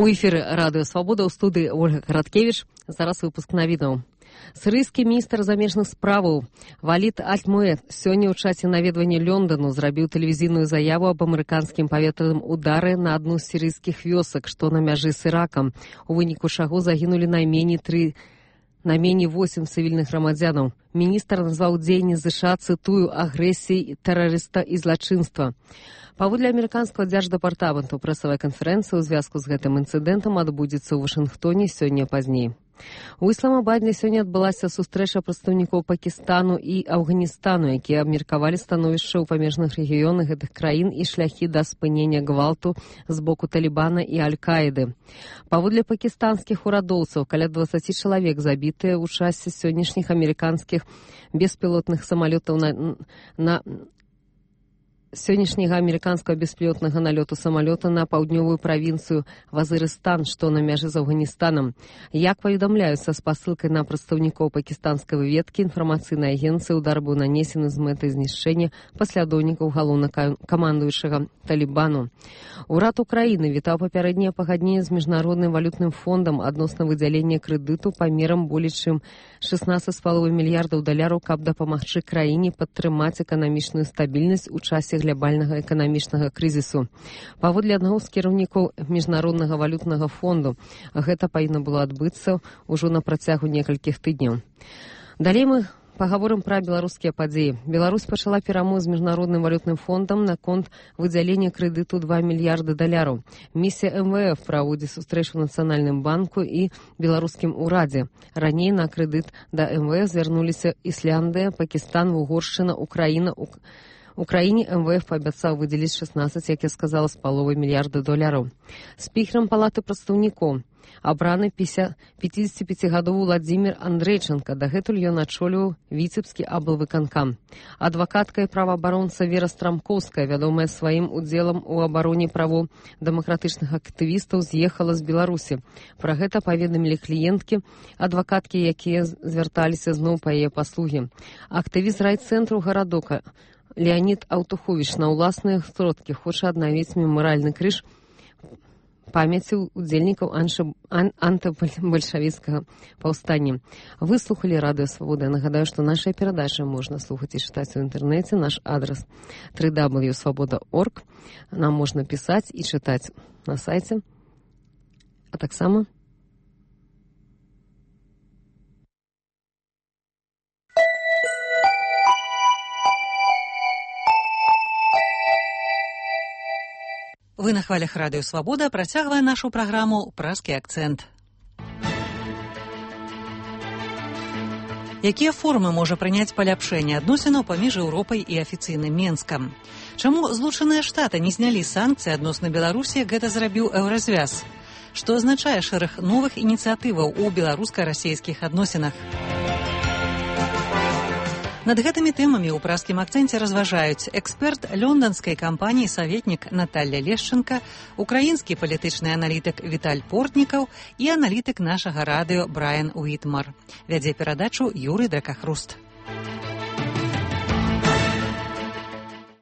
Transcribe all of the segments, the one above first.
У эфіры радыё Свабода, ў студыі Ольга Караткевіч. Зараз выпуск навінаў. Сірыйскі міністр замежных справаў Валід Аль-Муэд сёння ў часе наведвання Лёндану зрабіў тэлевізійную заяву аб амерыканскім паветраным удары на адну з сірыйскіх вёсак, што на мяжы з Іракам, у выніку чаго загінулі найменей 8 цывільных грамадзянаў. Міністр назваў дзеянні ЗША, цытую, агрэсіяй тэрарыста і злачынства. Паводле амерыканскага дзярждэпартаменту, прэсавая канферэнцыя ў звязку з гэтым інцыдэнтам адбудзецца ў Вашынгтоне сёння пазней. У Ісламабадзе сёння адбылася сустрэча прадстаўнікоў Пакістану і Афганістану, якія абмеркавалі становішча ў памежных рэгіёнах гэтых краін і шляхі да спынення гвалту з боку Талібана і Аль-Каіды. Паводле пакістанскіх урадоўцаў, каля 20 чалавек забітыя ў часе сённяшніх амерыканскіх беспілотных самалётаў сённяшняга амерыканскага беспілотнага налёту самалёта на паўднёвую правінцыю Вазырыстан, што на мяжы з Афганістанам. Як паведамляюцца з пасылкай на прадстаўнікоў пакістанскай выведкі, інфармацыйнай агенцыі удар быў нанесены з мэтай знішчэння паслядоўнікаў галоўнакамандуючага Талібану. Урад Украіны вітаў папярэдняе пагадненне з міжнародным валютным фондам адносна выдзялення крэдыту памерам болей чым 16,5 мільярдаў даляраў, каб дапамагчы краіне падтрымаць эканамічную стабільнасць у часе глобальнага эканамічнага крызісу. Паводле аднаго з кіраўнікоў міжнароднага валютнага фонду, гэта павінна было адбыцца ўжо на працягу некалькіх тыдняў. Далей мы пагаворым пра беларускія падзеі. Беларусь пачала перамовы з міжнародным валютным фондам наконт выдзялення крэдыту 2 мільярды даляраў. Місія МВФ праводзіць сустрэчу ў Нацыянальным банку і беларускім урадзе. Раней на крэдыт да МВФ звярнуліся Ісляндыя, Пакістан, Угоршчына, Украіна. Украіне МВФ паабяцаў выдзеліць 16, як я сказала, з паловай мільярда долараў. Спікерам палаты прадстаўнікоў абраны 55-гадовы Владзімір Андрэйчанка. Дагэтуль ён ачоліў віцебскі аблвыканкам. Адвакатка і праваабаронца Вера Страмкоўская, вядомая сваім удзелам у абароне правоў дэмакратычных актывістаў, з'ехала з Беларусі. Пра гэта паведамілі кліенткі, адвакаткі, якія звярталіся зноў па яе паслугі. Актывіст райцэнтру гарадока Леонід Аўтуховіч на ўласныя сродкі хоча аднавіць мемарыяльны крыж памяці удзельнікаў антыбальшавіцкага паўстання. Вы слухалі радыё Свабода. Нагадаю, што нашыя перадачы можна слухаць і чытаць у інтэрнэце. Наш адрас www.svoboda.org. Нам можна пісаць і чытаць на сайце. А таксама Вы на хвалях радыё Свабода, працягвае нашу праграму «Пражскі акцэнт». Якія формы можа прыняць паляпшэнне адносінаў паміж Еўропай і афіцыйным Менскам? Чаму Злучаныя Штаты не знялі санкцыі адносна Беларусі, гэта зрабіў Еўразвяз? Што азначае шэраг новых ініцыятываў у беларуска-расейскіх адносінах? Над гэтымі тэмамі ў пражскім акцэнце разважаюць эксперт лёнданскай кампаніі саветнік Наталля Лешченка, украінскі палітычны аналітык Віталь Портнікаў і аналітык нашага радыё Брайан Уітмар. Вядзе перадачу Юрый Дракахруст.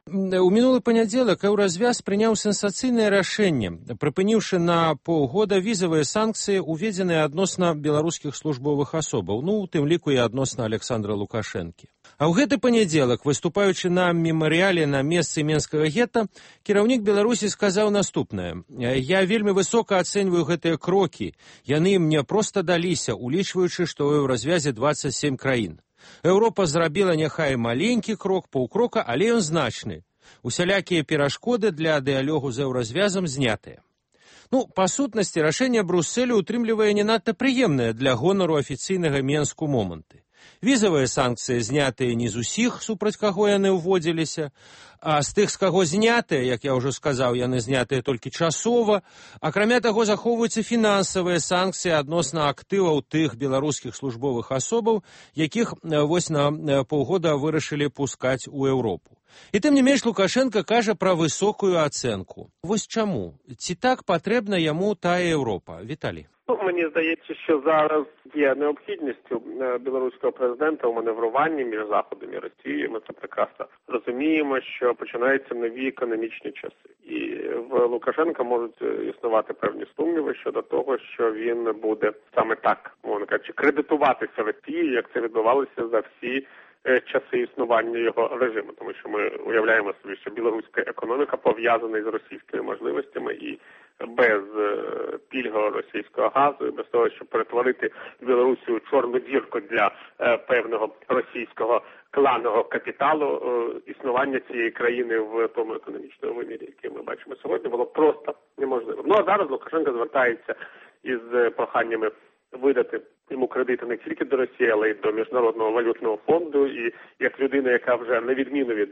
У мінулы панядзелак Еўразвяз прыняў сенсацыйнае рашэнне, прыпыніўшы на паўгода візавыя санкцыі, уведзеныя адносна беларускіх службовых асобаў, у тым ліку і адносна Александра Лукашэнкі. А ў гэты панядзелак, выступаючы на мемарыяле на месцы Менскага гета, кіраўнік Беларусі сказаў наступнае. Я вельмі высока ацэньваю гэтыя крокі. Яны мне проста даліся, улічваючы, што ў Еўразвязе 27 краін. Еўропа зрабіла няхай маленькі крок, паўкрока, але ён значны. Усялякія перашкоды для дыялогу з Еўразвязам знятыя. Па сутнасці, рашэнне Брусселю утрымлівае не надта прыемнае для гонару афіцыйнага Менску моманты. Візавыя санкцыі знятыя не з усіх, супраць каго яны ўводзіліся, а з тых, з каго знятыя, як я ўжо сказаў, яны знятыя толькі часова. Акрамя таго, захоўваюцца фінансавыя санкцыі адносна актываў тых беларускіх службовых асобаў, якіх вось на паўгода вырашылі пускаць у Еўропу. І тым не менш Лукашенко кажа пра высокую ацэнку. Вось чаму? Ці так патрэбна яму тая Еўропа? Віталій. Мені здається, що зараз є необхідністю білоруського президента у маневруванні між Заходом і Росією. Ми це прекрасно розуміємо, що починаються нові економічні часи. І в Лукашенка можуть існувати певні сумніви щодо того, що він буде саме так, мовно кажучи, кредитуватися Росії, як це відбувалося за всі часи існування його режиму, тому що ми уявляємо собі, що білоруська економіка пов'язана з російськими можливостями і без пільгового російського газу, і без того, щоб перетворити Білорусі у чорну дірку для певного російського кланового капіталу, існування цієї країни в тому економічному вимірі, який ми бачимо сьогодні, було просто неможливо. Ну а зараз Лукашенко звертається із проханнями видати йому кредити не тільки до Росії, але й до Міжнародного валютного фонду. І як людина, яка вже на відміну від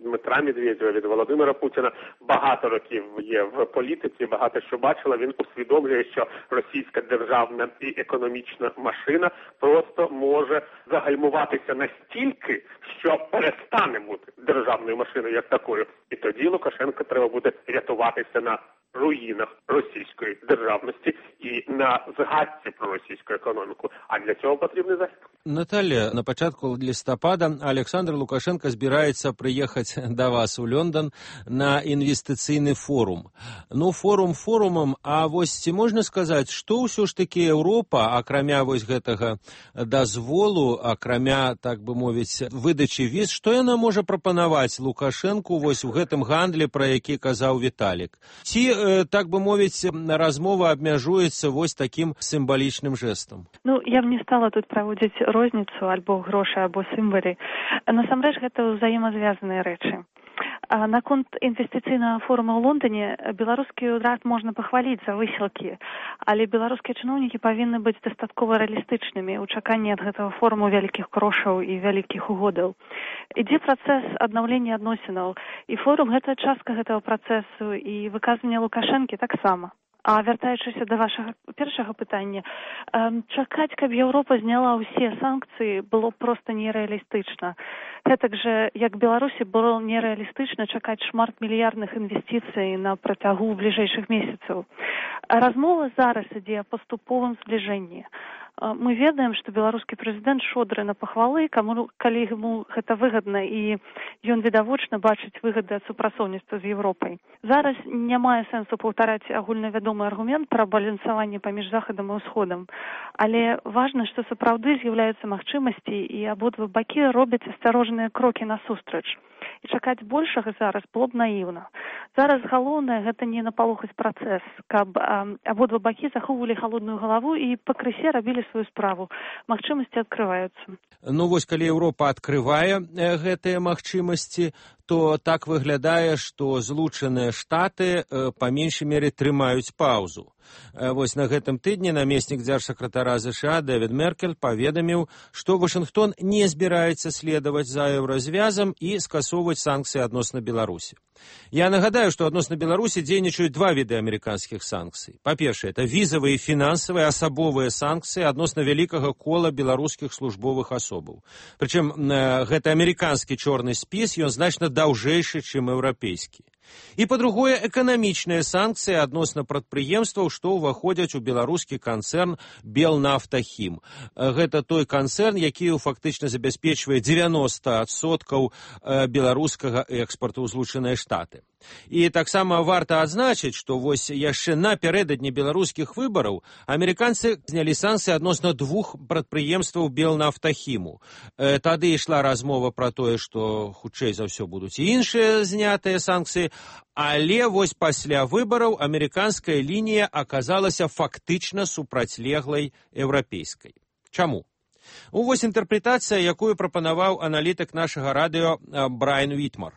Дмитра Медведєва, від Володимира Путіна, багато років є в політиці, багато що бачила, він усвідомлює, що російська державна і економічна машина просто може загальмуватися настільки, що перестане бути державною машиною як такою. І тоді Лукашенко треба буде рятуватися на руїнах російської державності і на згадці про російську економіку. А для цього потрібний захід. Наталя, на початку листопада Олександр Лукашенко збирається приїхати до вас у Лондон на інвестиційний форум. Ну, форум форумом, а ось ці можна сказати, що все ж таки Європа, окромя ось гэтага дозволу, окромя, так би мовити, видачі віз, що вона може пропонувати Лукашенку ось у гэтым гандлі, про який казав Віталік? Ці, так би мовити, розмова обмежується ось таким символічним жестом. Ну, я б не стала тут праводзіць розніцу альбо грошы, або сімвалі. Насамрэч, гэта ўзаемазвязаныя рэчы. Наконт інвестыцыйнага форума ў Лондоне беларускі ўрад можна пахваліць за высілкі, але беларускія чыноўнікі павінны быць дастаткова рэалістычнымі ў чаканні ад гэтага форуму вялікіх грошаў і вялікіх угодаў. Ідзе працэс аднаўлення адносінаў, і форум гэта частка гэтага працэсу, і выказванне Лукашэнкі таксама. А вяртаючыся да вашага першага пытання, чакаць, каб Еўропа зняла ўсе санкцыі, было проста нерэалістычна. Гэтак жа, як Беларусі было нерэалістычна чакаць шматмільярдных інвестыцый на працягу бліжэйшых месяцаў. Размова зараз ідзе о паступовым збліжэнні. Мы ведаем, што беларускі прэзідэнт шодры на пахвалы, калі яму гэта выгадна, і ён відавочна бачыць выгады ад супрацоўніцтва з Еўропай. Зараз не мае сэнсу паўтараць агульнавядомы аргумент пра балансаванне паміж Захадам і Ўсходам, але важна, што сапраўды з'яўляюцца магчымасці, і абодва бакі робяць асцярожныя крокі насустрач. І чакаць большага зараз было б наіўна. Зараз галоўнае гэта не напалохаць працэс, каб абодва бакі захоўвалі халодную галаву і пакрысе рабілі сваю справу. Магчымасці адкрываюцца. Ну вось, калі Еўропа адкрывае гэтыя магчымасці, то так выглядае, што Злучаныя Штаты па меншай мере трымаюць паўзу. Вось на гэтым тыдні намеснік дзяржсакратара ЗША Дэвід Меркель паведаміў, што Вашынгтон не збіраецца следаваць за еўразвязам і скасоўваць санкцыі адносна Беларусі. Я нагадаю, што адносна Беларусі дзейнічаюць два віды амерыканскіх санкцый. Па-першае, это візавыя і фінансавыя асабовыя санкцыі адносна вялікага кола беларускіх службовых асобаў. Прычым гэты амерыканскі чорны спіс, ён значна даўжэйшы, чым еўрапейскі. І, па-другое, эканамічныя санкцыі адносна прадпрыемстваў, што ўваходзяць у беларускі канцэрн Белнафтахім. Гэта той канцэрн, які фактычна забяспечвае 90% беларускага экспарту ў Злучаныя Штаты. І таксама варта адзначыць, што вось яшчэ напярэдадні беларускіх выбараў амерыканцы знялі санкцыі адносна двух прадпрыемстваў Белнафтахіму. Тады ішла размова пра тое, што хутчэй за ўсё будуць і іншыя знятыя санкцыі, але вось пасля выбараў амерыканская лінія аказалася фактычна супрацьлеглай еўрапейскай. Чаму? Вось інтэрпрэтацыя, якую прапанаваў аналітык нашага радыё Брайан Вітмар.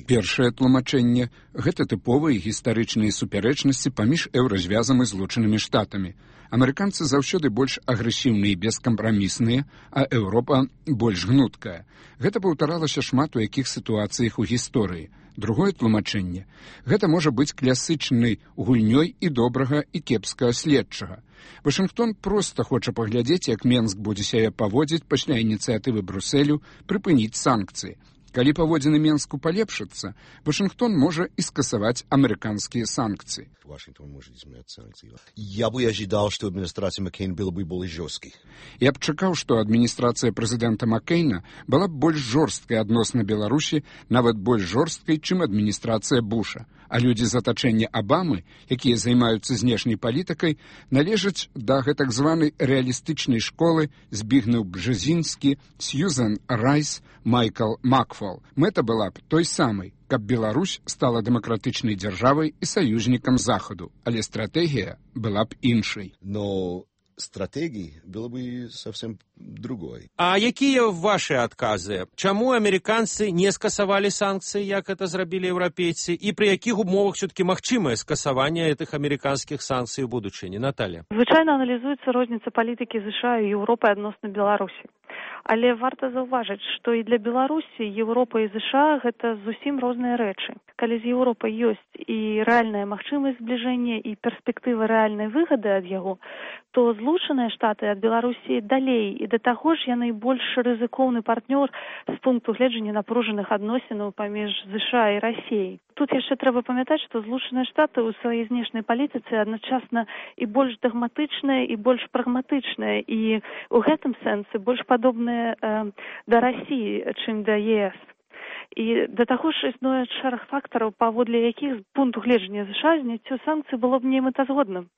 Першае тлумачэнне – гэта тыповыя гістарычныя супярэчнасці паміж еўразвязам і Злучанымі Штатамі. Амерыканцы заўсёды больш агрэсіўныя і бескампрамісныя, а Еўропа больш гнуткая. Гэта паўтаралася шмат у якіх сітуацыях у гісторыі. Другое тлумачэнне – гэта можа быць класычнай гульнёй і добрага і кепскага следчага. Вашынгтон проста хоча паглядзець, як Менск будзе сябе паводзіць пасля ініцыятывы Брусэлю прыпыніць санкцыі. Калі паводзіны Менску палепшацца, Вашингтон можа і скасаваць амерыканскія санкцыі. Вашингтон может изменять санкции. Я бы ожидал, что администрация Маккейна была бы более жесткой. Я б чакаў, што адміністрацыя прэзідэнта Маккейна была б больш жорсткай адносна Беларусі, нават больш жорсткай, чым адміністрацыя Буша. А людзі з атачэння Абамы, якія займаюцца знешняй палітыкай, належаць да гэтак званай рэалістычнай школы Збігнеў Бжезінскі, Сьюзен Райс, Майкл Макфол. Мэта была б той самай, каб Беларусь стала дэмакратычнай дзяржавай і саюзнікам Захаду, але стратэгія была б іншай. Но стратегии было бы совсем другой. А якія ваши адказы? Чаму амерыканцы не скасавалі санкцыі, як это зрабілі еўрапейцы, і пры якіх умовах все-таки магчымае скасаванне гэтых амерыканскіх санкцый у будучыні? Наталья. Звычайна аналізуецца розніца палітыкі США і Еўропы адносна Беларусі. Але варта заўважыць, што і для Беларусі Еўропа і США гэта зусім розныя рэчы. Калі з Еўропай ёсць і рэальная магчымасць збліжэння і перспектыва рэальнай выгады ад яго, то Злучаныя Штаты ад Беларусі далей, і да таго ж яны больш рызыкоўны партнёр з пункту гледжання напружаных адносінаў паміж США і Расіяй. Тут яшчэ трэба памятаць, што Злучаныя Штаты ў сваёй знешняй палітыцы адначасна і больш дагматычныя, і больш прагматычныя, і ў гэтым сэнсе больш падобныя да Расіі, чым да ЕС. І да таго ж існуе шэраг фактараў, паводле якіх з пункту гледжання США зняццё санкцый было б немэтазгодным.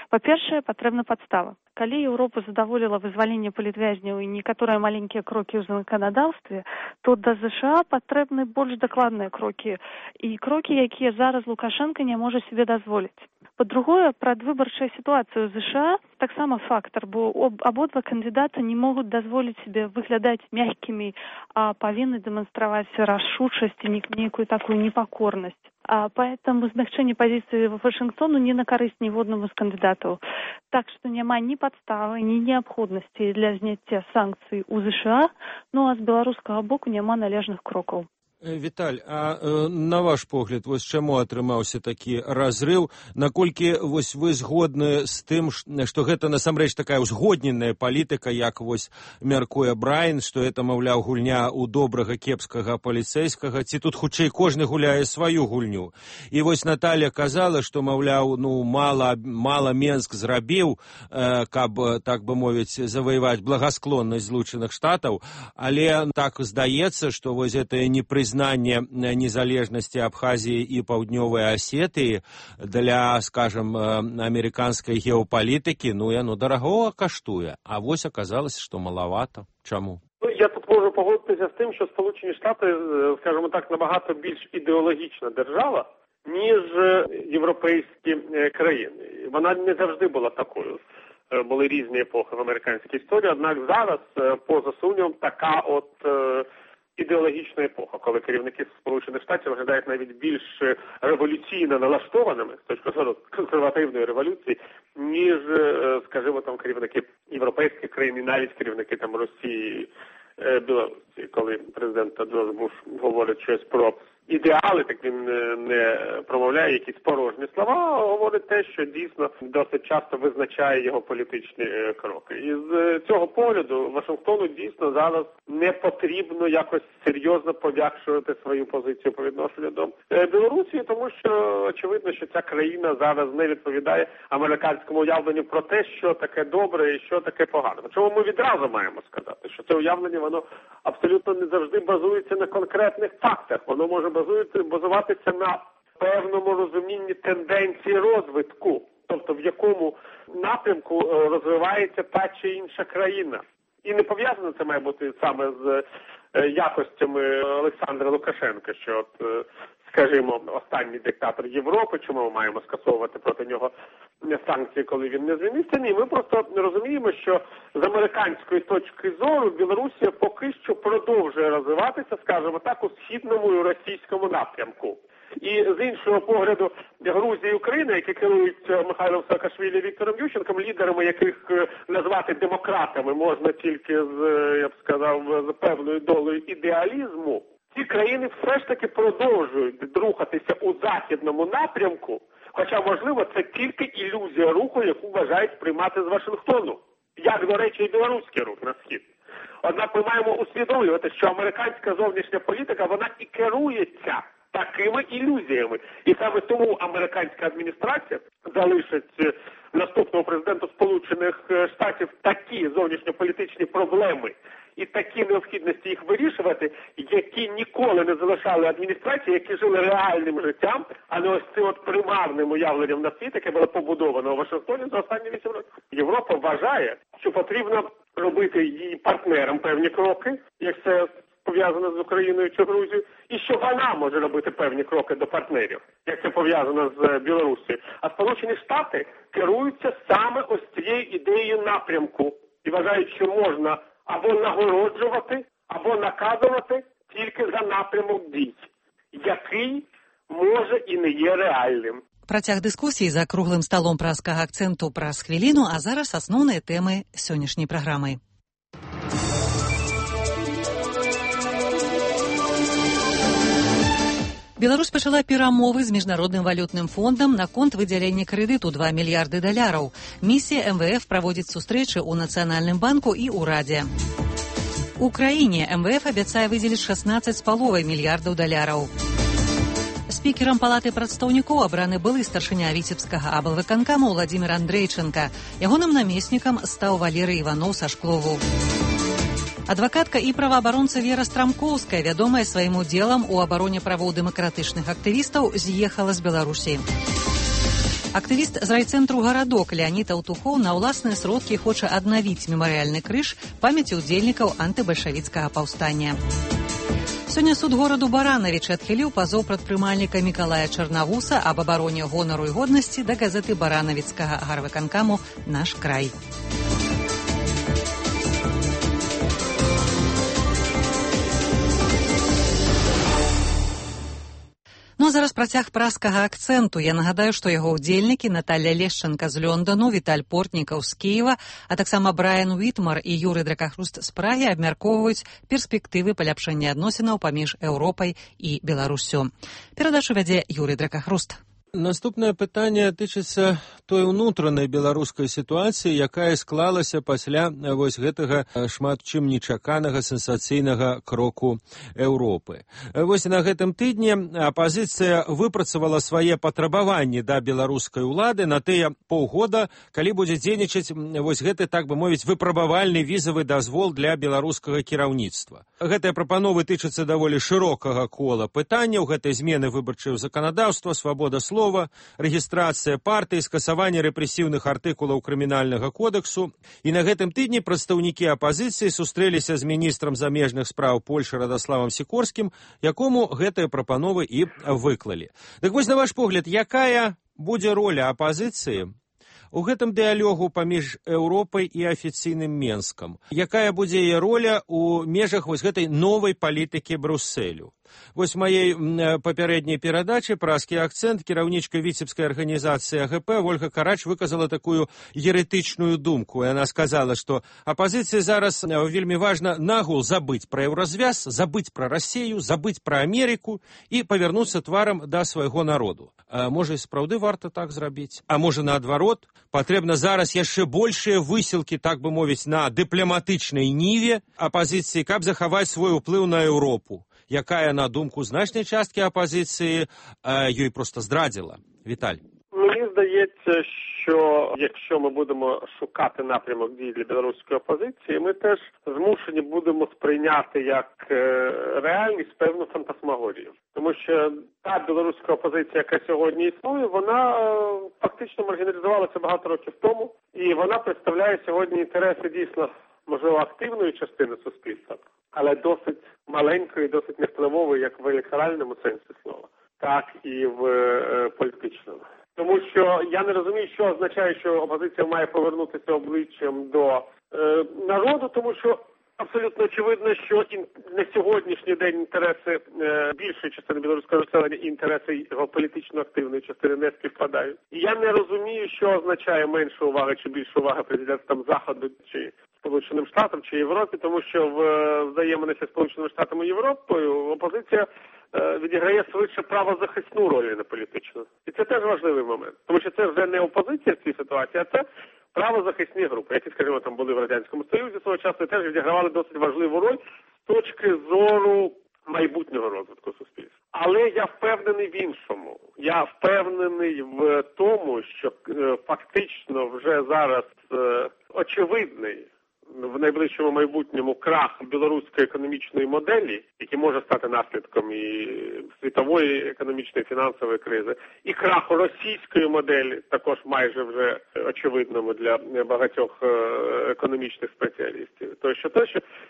Па-першае, патрэбна падстава. Калі Еўропа задаволіла вызваленне палітвязняў і некаторыя маленькія крокі ў заканадаўстве, то да США патрэбны больш дакладныя крокі, і крокі, якія зараз Лукашенко не можа себе дазволіць. Па-другое, прадвыбарчая сітуацыя ў США таксама фактар, бо абодва кандыдаты не могуць дазволіць себе выглядаць мягкімі, а павінны дэманстраваць рашучасць і нейкую такую непакорнасць. Поэтому змягчэнне пазіцыі Вашингтону не на карысць ніводнаму з кандыдатаў. Так што няма ні падставы, ні неабходнасці для зняцця санкцый у США, ну а з беларускага боку няма належных крокаў. Віталь, а на ваш погляд, вось чаму атрымаўся такі разрыў? Наколькі вось вы згодны з тым, што гэта насамрэч такая узгодненая палітыка, як вось мяркуе Брайан, што гэта, маўляў, гульня ў добрага кепскага паліцэйскага, ці тут хутчэй кожны гуляе сваю гульню? І вось Наталья казала, што, маўляў, мала Менск зрабіў, каб, так бы мовіць, заваяваць благасклоннасць Злучаных Штатаў, але так здаецца, што вось гэтае непрызнанне незалежнасці Абхазіі і Паўднёвай Асетыі для, скажем, амерыканскай геапалітыкі, яно дарагога каштуе. А вось аказалася, што малавата. Чаму? Я тут можу погодитися з тим, що Сполучені Штати, скажімо так, набагато більш ідеологічна держава, ніж європейські країни. Вона не завжди була такою. Були різні епохи в американській історії, однак зараз, поза сумнівом, така от ідеологічна епоха, коли керівники Сполучених Штатів виглядають навіть більш революційно налаштованими з точки зору консервативної революції, ніж, скажімо, там керівники європейських країн і навіть керівники там Росії, Білорусі. Коли президент Джордж Буш говорить щось про ідеали, так він не промовляє якісь порожні слова, а говорить те, що дійсно досить часто визначає його політичні кроки. І з цього погляду Вашингтону дійсно зараз не потрібно якось серйозно пом'якшувати свою позицію по відношенню до Білорусі, тому що очевидно, що ця країна зараз не відповідає американському уявленню про те, що таке добре і що таке погано. Чому ми відразу маємо сказати, що це уявлення, воно абсолютно не завжди базується на конкретних фактах. Воно може базуватися на певному розумінні тенденції розвитку, тобто в якому напрямку розвивається та чи інша країна. І не пов'язано це має бути саме з якостями Олександра Лукашенка, що от, скажімо, останній диктатор Європи, чому ми маємо скасовувати проти нього санкції, коли він не звільнився? Ні, ми просто розуміємо, що з американської точки зору Білорусія поки що продовжує розвиватися, скажімо так, у східному і російському напрямку. І з іншого погляду Грузія і Україна, які керують Михайлом Саакашвілі і Віктором Ющенком, лідерами яких назвати демократами можна тільки з, я б сказав, з певною долею ідеалізму, ці країни все ж таки продовжують рухатися у західному напрямку, хоча, можливо, це тільки ілюзія руху, яку вважають приймати з Вашингтону, як, до речі, і білоруський рух на схід. Однак ми маємо усвідомлювати, що американська зовнішня політика, вона і керується такими ілюзіями. І саме тому американська адміністрація залишить наступного президента Сполучених Штатів такі зовнішньополітичні проблеми і такі необхідності їх вирішувати, які ніколи не залишали адміністрації, які жили реальним життям, а не ось цим от примарним уявленням на світ, яке було побудовано у Вашингтоні за останні 8 років. Європа вважає, що потрібно робити її партнерам певні кроки, як це пов'язано з Україною чи Грузією, і що вона може робити певні кроки до партнерів, як це пов'язано з Білорусією. А Сполучені Штати керуються саме ось цією ідеєю напрямку і вважають, що можна або нагороджувати, або наказувати тільки за напрямок дій, який може і не є реальним. Працяг дискусії за круглим столом праскага акценту праз хвіліну, а зараз асноўныя тэмы сённяшняй праграмы. Беларусь пачала перамовы з міжнародным валютным фондам наконт выдзялення крэдыту $2 мільярды. Місія МВФ праводзіць сустрэчы ў Нацыянальным банку і ўрадзе. У краіне МВФ абяцае выдзеліць $16,5 мільярдаў. Спікерам палаты прадстаўнікоў абраны былы старшыня віцебскага аблвыканкама Владзімір Андрэйчанка. Ягоным намеснікам стаў Валерый Іваноў са Шклову. Адвакатка і праваабаронца Вера Страмкоўская, вядомая сваім удзелам у абароне правоў дэмакратычных актывістаў, з'ехала з Беларусі. Актывіст з райцэнтру «Гарадок» Леонід Аўтухоў на ўласныя сродкі хоча аднавіць мемарыяльны крыж памяці ўдзельнікаў антыбальшавіцкага паўстання. Сёння суд гораду Баранавіч адхіліў пазоў прадпрымальніка Мікалая Чарнавуса аб абароне гонару і годнасці да газеты баранавіцкага гарвыканкаму «Наш край». Ну а зараз працяг праскага акцэнту. Я нагадаю, што яго ўдзельнікі Наталля Лешчанка з Лёндану, Віталь Портнікаў з Кіева, а таксама Брайан Уітмар і Юрый Дракахруст з Прагі абмяркоўваюць перспектывы паляпшэння адносінаў паміж Еўропай і Беларуссю. Перадачу вядзе Юрый Дракахруст. Наступнае пытанне тычыцца той унутранай беларускай сітуацыі, якая склалася пасля вось гэтага шмат чым нечаканага сенсацыйнага кроку Еўропы. Вось на гэтым тыдні апазіцыя выпрацавала свае патрабаванні да беларускай улады на тыя паўгода, калі будзе дзейнічаць вось гэты, так бы мовіць, выпрабавальны візавы дазвол для беларускага кіраўніцтва. Гэтыя прапановы тычацца даволі шырокага кола пытанняў, гэтай змены выбарчага заканадаўства, свабода слова, рэгістрацыя партыі, скасаванне рэпрэсіўных артыкулаў крымінальнага кодексу. І на гэтым тыдні прадстаўнікі апазіцыі сустрэліся з міністрам замежных спраў Польшы Радаславам Сікорскім, якому гэтыя прапановы і выклалі. Так вось, на ваш погляд, якая будзе роля апазіцыі у гэтым дыялогу паміж Еўропай і афіцыйным Менскам? Якая будзе яе роля ў межах вось гэтай новай палітыкі Брусэлю? Вось маей папярэдняй перадачы «Праскі акцэнт» кіраўнічка віцебскай арганізацыі АГП Вольга Карач выказала такую еретычную думку. Яна сказала, што апазіцыі зараз вельмі важна нагул забыць пра еўразвяз, забыць пра Расею, забыць пра Амерыку і павярнуцца тварам да свайго народу. А можа, і сапраўды варта так зрабіць? А можа, наадварот, патрэбна зараз яшчэ большыя высілкі, так бы мовіць, на дыпламатычнай ніве апазіцыі, каб захаваць свой уплыў на Еўропу, якая, на думку значнай часткі апозиції, їй просто здрадила. Віталь. Мені здається, що якщо ми будемо шукати напрямок дій для білоруської опозиції, ми теж змушені будемо сприйняти як реальність певну фантасмагорію. Тому що та білоруська опозиція, яка сьогодні існує, вона фактично маргіналізувалася багато років тому, і вона представляє сьогодні інтереси дійсно, можливо, активної частини суспільства, але досить маленької, досить невпливової, як в електоральному сенсі слова, так і в політичному. Тому що я не розумію, що означає, що опозиція має повернутися обличчям до народу, тому що абсолютно очевидно, що на сьогоднішній день інтереси більшої частини білоруського населення і інтереси його політично активної частини не співпадають. І я не розумію, що означає менша увага чи більша увага президентам Заходу чи Сполученим Штатам чи Європі, тому що в взаєминах Сполученими Штатами і Європою опозиція відіграє швидше правозахисну роль, не політичну. І це теж важливий момент. Тому що це вже не опозиція в цій ситуації, а це правозахисні групи, які, скажімо, там були в Радянському Союзі свого часу, теж відігравали досить важливу роль з точки зору майбутнього розвитку суспільства. Але я впевнений в іншому. Я впевнений в тому, що фактично вже зараз очевидний в найближчому майбутньому крах білоруської економічної моделі, який може стати наслідком і світової економічної фінансової кризи, і краху російської моделі, також майже вже очевидному для багатьох економічних спеціалістів.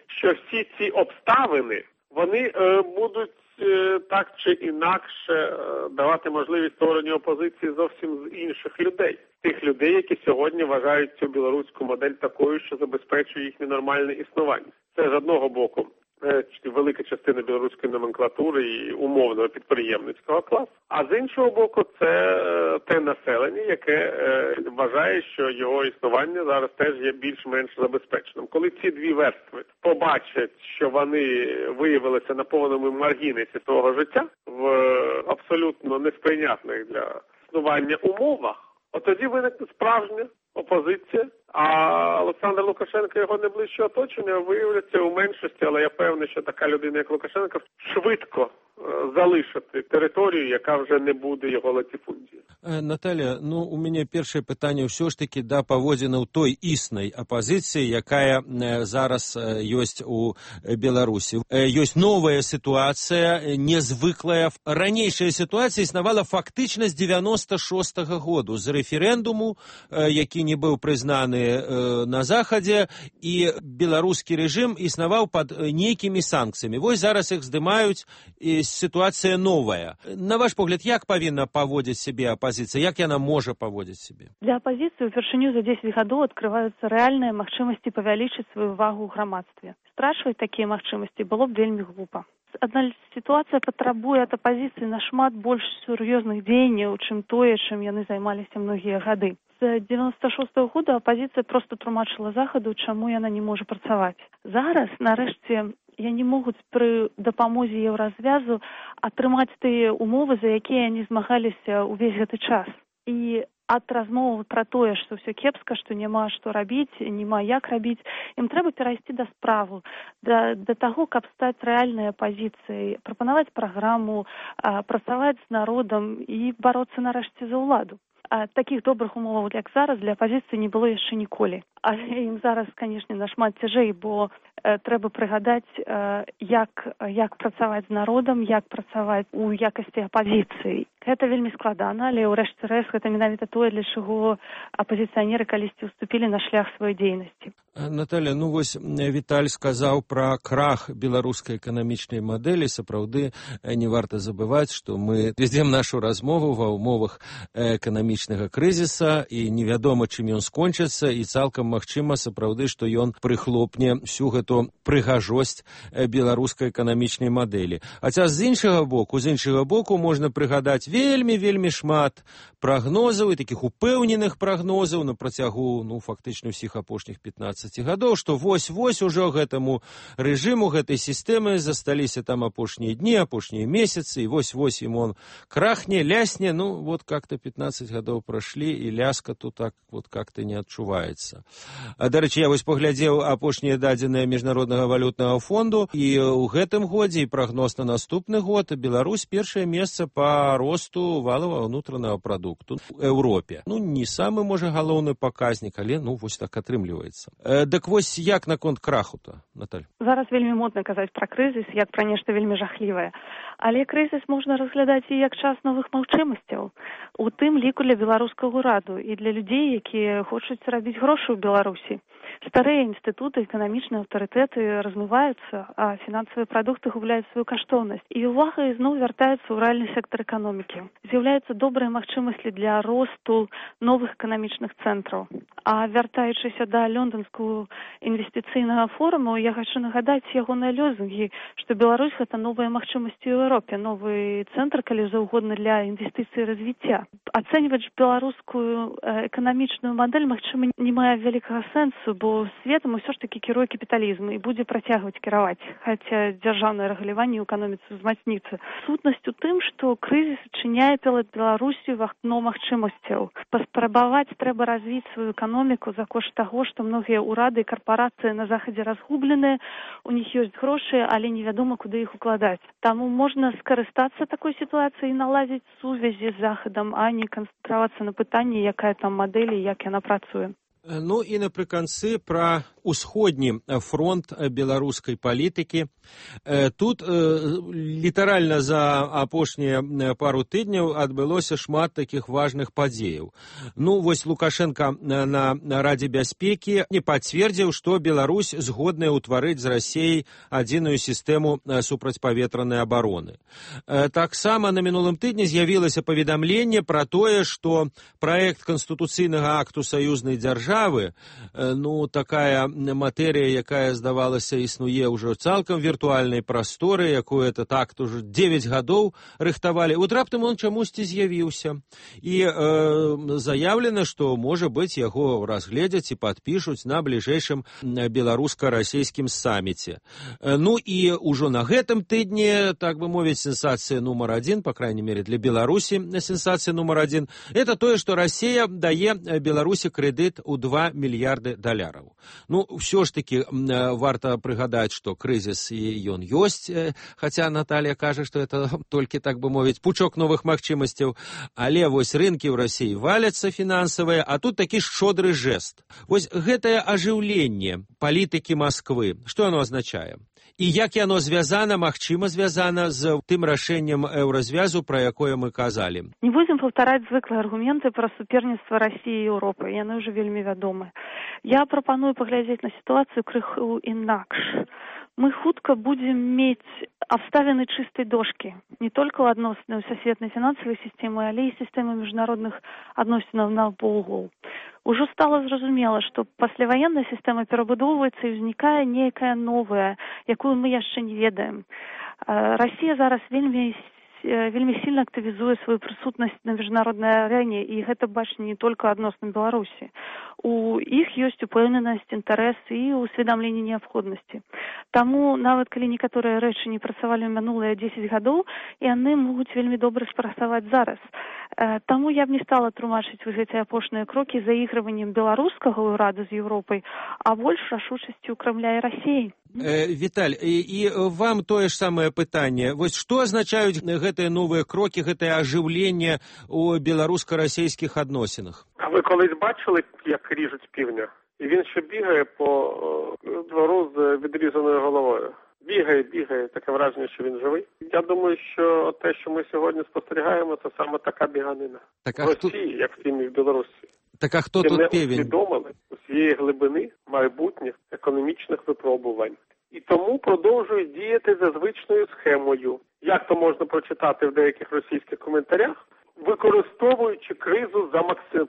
Що всі ці обставини, вони будуть так чи інакше давати можливість створенню опозиції зовсім з інших людей. Тих людей, які сьогодні вважають цю білоруську модель такою, що забезпечує їхнє нормальне існування. Це з одного боку велика частина білоруської номенклатури і умовного підприємницького класу, а з іншого боку це те населення, яке вважає, що його існування зараз теж є більш-менш забезпеченим. Коли ці дві верстви побачать, що вони виявилися на повному маргінесі свого життя в абсолютно несприйнятних для існування умовах, от тоді виникне справжня опозиція, а Олександр Лукашенко і його найближче оточення виявляться у меншості, але я певний, що така людина, як Лукашенко, швидко залишити територію, яка вже не буде його латифундією. Наталя, у мяне першае пытанне ўсё ж таки да паводзінаў той існай апазіцыі, якая зараз ёсць у Беларусі. Ёсць новая сітуацыя, незвыклая. Ранейшая сітуацыя існавала фактычна з 96-го году, з рэферэндуму, які не быў прызнаны на Захадзе, і беларускі рэжым існаваў пад нейкімі санкцыямі. Вось зараз іх здымаюць, і сітуацыя новая. На ваш погляд, як павінна паводзіць сябе апазіцыя? Як яна можа паводзіць сябе? Для апазіцыі упершыню за 10 гадоў адкрываюцца рэальныя магчымасці павялічыць сваю увагу ў грамадстве. Страчваць такія магчымасці было б вельмі глупа. Адна сітуацыя патрабуе ад апазіцыі нашмат больш сур'ёзных дзеянняў, чым тое, чым яны займаліся многія гады. З 96-го года апазіцыя проста тлумачыла Захаду, чаму яна не можа працаваць. Зараз, нарэшце, яны могуць пры дапамозе еўразвязу атрымаць тыя умовы, за якія яны змагаліся ўвесь гэты час. І ад размовы пра тое, што ўсё кепска, што няма што рабіць, няма як рабіць, ім трэба перайсці да справу, да таго, каб стаць рэальнай апазіцыяй, прапанаваць праграму, працаваць з народам і бароцца нарэшце за ўладу. Такіх добрых умоваў, як зараз, для апазіцыі не было яшчэ ніколі. Але ім зараз, канешне, нашмат цяжэй, бо трэба прыгадаць, як працаваць з народам, як працаваць у якасці апазіцыі. Гэта вельмі складана, але ў рэшце рэшт гэта менавіта тое, для чаго апазіцыянеры калісьці ўступілі на шлях сваёй дзейнасці. Наталя, вось Віталь сказаў пра крах беларускай эканамічнай мадэлі. Сапраўды, не варта забываць, што мы вядзем нашу размову ва ўмовах эканамічнага крызіса, і невядома, чым ён скончыцца, і цалкам магчыма, сапраўды, што ён прыхлопне всю гэту прыгажосць беларускай эканамічнай мадэлі. Хаця з іншага боку можна прыгадаць вельмі шмат прагнозаў і такіх упэўненых прагнозаў на працягу, фактычна ўсіх апошніх 15 гадоў, што вось ужо гэтаму рэжыму, гэтай сістэмы засталіся там апошнія дні, апошнія месяцы, і вось ім он крахне, лясне, вот как-то 15 гадоў прашлі, і ляска тут так вот как-то не адчуваецца. Дарэчы, я вось паглядзеў апошнія дадзеныя Міжнароднага валютнага фонду, і ў гэтым годзе, і прагноз на наступны год, Беларусь першае месца па росту валовага ўнутранага прадукту ў Еўропе. Не самы, можа, галоўны паказнік, але, вось так атрымліваецца. Дык вось як наконт краху-то, Наталь? Зараз вельмі модна казаць пра крызіс, як пра нешта вельмі жахлівае. Але крызіс можна разглядаць і як час новых магчымасцяў. У тым ліку для беларускага ўраду і для людзей, якія хочуць рабіць грошы ў Беларусі. Старыя інстытуты, эканамічныя аўтарытэты размываюцца, а фінансавыя прадукты губляюць сваю каштоўнасць. І увага ізноў вяртаецца ў рэальны сектар эканомікі. З'яўляюцца добрыя магчымасці для росту новых эканамічных цэнтраў. А вяртаючыся да лёнданскага інвестыцыйнага форуму, я хочу нагадаць ягоныя лозунгі, што Беларусь — гэта новыя магчымасці ў Еўропе, новы цэнтр, калі заўгодна, для інвестыцый і развіцця. Ацэньваць беларускую эканамічную мадэль, магчыма, не мае вялікага сэнсу, бо светам усё ж такі кіруе капіталізм і будзе працягваць кіраваць, хаця дзяржаўнае рэгуляванне ў эканоміцы ўзмацніцца. Сутнасць у тым, што крызіс адчыняе перад Беларусю вакно магчымасцяў. Паспрабаваць трэба развіць сваю эканоміку за кошт таго, што многія ўрады і карпорацыі на захадзе разгубленыя, у них ёсць грошы, але невядома, куды іх укладаць. Таму можна скарыстацца такой сітуацыяй і наладзіць сувязі з захадам, а не канцэнтравацца на пытанні, якая там мадэль і як яна працуе. Ну і напрыканцы пра усходні фронт беларускай палітыкі. Тут літаральна за апошнія пару тыдняў адбылося шмат такіх важных падзеяў. Ну, вось Лукашенко на Радзе бяспекі не пацвердзіў, што Беларусь згодная ўтварыць з Расіяй адзіную сістэму супрацьпаветранай абароны. Таксама на мінулым тыдні з'явілася паведамленне пра тое, што праект канстытуцыйнага акту саюзнай дзяржавы, ну, такая матэрыя, якая, здавалася, існуе ўжо цалкам віртуальнай прасторы, якую этот акт уже 9 гадоў рыхтавалі. От раптам он чамусьці з'явіўся. І заявлена, што, можа быць, яго разгледзяць і падпішуць на бліжэйшым беларуска-расійскім саміце. Ну і ўжо на гэтым тыдні, так бы мовіць, сенсацыя нумар 1, по крайней мере для Беларусі сенсацыя нумар 1, это тое, што Расія дае Беларусі крэдыт у $2 мільярды. Ну, ўсё ж таки варта прыгадаць, што крызіс ён ёсць, хаця Наталья кажа, што это толькі, так бы мовіць, пучок новых магчымасцяў, але вось рынкі ў Расіі валяцца фінансавыя, а тут такі шчодры жэст. Вось гэтае ажыўленне палітыкі Масквы, што оно азначае? І як яно звязана, магчыма звязана з тым рашэннем еўразвязу, пра якое мы казалі? Не будзем паўтараць звыклыя аргументы пра суперніцтва Расіі і Еўропы, яны ўжо вельмі вядомы. Я прапаную паглядзець на сітуацыю крыху інакш. Мы хутка будзем мець абставіны чыстай дошкі, не толькі ў адносінах сусветнай фінансавай сістэмы, але і сістэмы міжнародных адносінаў навокал. Ужо стала зразумела, што пасляваенная сістэма перабудоўваецца і ўзнікае нейкая новая, якую мы яшчэ не ведаем. Расія зараз вельмі сильна актывізуе сваю прысутнасць на міжнароднай арэне, і гэта бачна не толькі адносна Беларусі. У іх ёсць упэўненасць, інтарэс і усведамленне неабходнасці. Таму, нават калі некаторыя рэчы не працавалі ў мінулыя 10 гадоў, яны могуць вельмі добра спрацаваць зараз. Таму я б не стала тлумачыць гэтыя апошнія крокі заігрываннем беларускага ўрада з Еўропай, а больш рашучасцю Крамля і Расіі. Віталь, і вам тое ж самае пытанне. Вось што азначаюць гэтыя новыя крокі, гэтае ажыўленне ў беларуска-расійскіх адносінах? А ви колись бачили, як ріжуть півня? І він ще бігає по двору з відрізаною головою. Бігає, таке враження, що він живий. Я думаю, що те, що ми сьогодні спостерігаємо, це саме така біганина. В Росії, як в тім і в Білорусі. Так а хто тут півень? Не усвідомили усієї глибини майбутніх економічних випробувань. І тому продовжують діяти за звичною схемою. Як то можна прочитати в деяких російських коментарях? Використовуючи кризу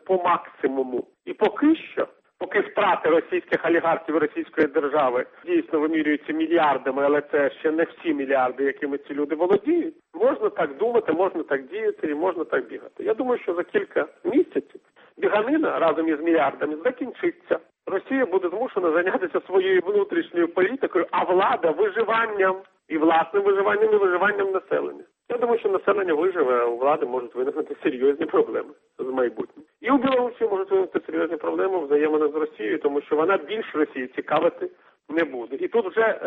по максимуму. І поки втрати російських олігархів російської держави дійсно вимірюються мільярдами, але це ще не всі мільярди, якими ці люди володіють, можна так думати, можна так діяти і можна так бігати. Я думаю, що за кілька місяців біганина разом із мільярдами закінчиться. Росія буде змушена зайнятися своєю внутрішньою політикою, а влада виживанням. І власним виживанням, і виживанням населення. Я думаю, що населення виживе, а у влади можуть виникнути серйозні проблеми з майбутнім. І у Білорусі можуть виникнути серйозні проблеми в взаєминах з Росією, тому що вона більш Росії цікавити не буде. І тут вже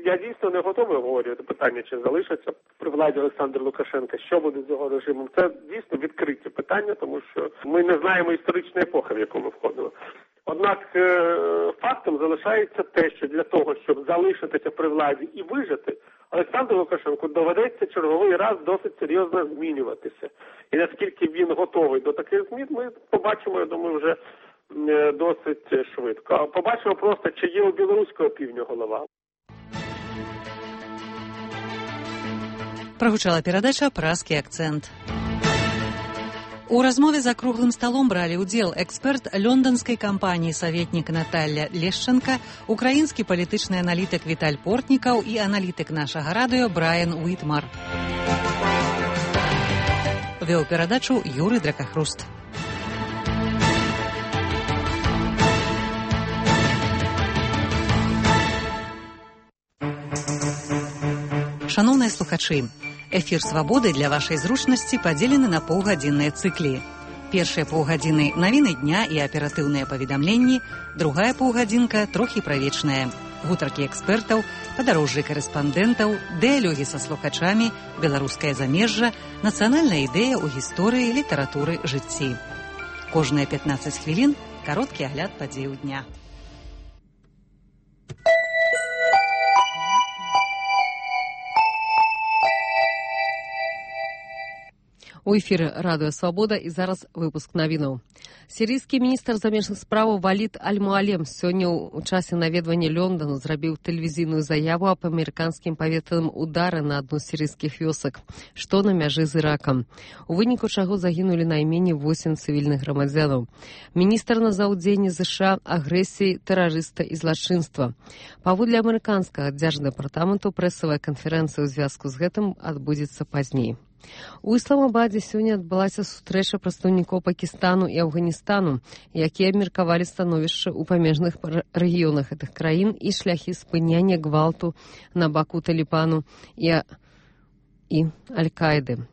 я дійсно не готовий говорити питання, чи залишиться при владі Олександр Лукашенка, що буде з його режимом. Це дійсно відкриті питання, тому що ми не знаємо історичної епохи, в яку ми входили. Однак фактом залишається те, що для того, щоб залишитися при владі і вижити, Олександру Лукашенку доведеться черговий раз досить серйозно змінюватися. І наскільки він готовий до таких змін, ми побачимо, я думаю, вже досить швидко. Побачимо просто, чи є у білоруського півдня голова. Прогучала перадача «Празкі акцент». У размове за круглым сталом бралі ўдзел эксперт лёнданскай кампаніі «Саветнік» Наталья Лешченка, украінскі палітычны аналітык Віталь Портнікаў і аналітык нашага радыё Брайан Уітмар. Вёў перадачу Юрый Дракахруст. Шановныя слухачы, эфір «Свабоды» для вашай зручнасці падзелены на паўгадзінныя цыклі. Першыя паўгадзіны навіны дня і аператыўныя паведамленні, другая паўгадзінка трохі правечная. Гутаркі экспертаў, падарожжы карэспандэнтаў, дыялогі са слухачамі, беларускае замежжа, нацыянальная ідэя ў гісторыі, літаратуры, жыцці. Кожныя 15 хвілін кароткі агляд падзеяў дня. У эфіры радыё «Свабода» і зараз выпуск навінаў. Сірыйскі міністр замежных спраў Валід Аль-Муалем сёння ў часе наведвання Лондону зрабіў тэлевізійную заяву аб амерыканскім паветраным удары на адну з сірыйскіх вёсак, што на мяжы з Іракам, у выніку чаго загінулі найменей 8 цывільных грамадзянаў. Міністр назваў дзеянні ЗША агрэсіяй тэрарыста і злачынства. Паводле амерыканскага дзярждэпартаменту прэсавая канферэнцыя ў звязку з гэтым адбудзецца пазней. У Ісламабадзе сёння адбылася сустрэча прадстаўнікоў Пакістану і Афганістану, якія абмеркавалі становішча ў памежных рэгіёнах гэтых краін і шляхі спынення гвалту на баку Талібану і Аль-Каіды.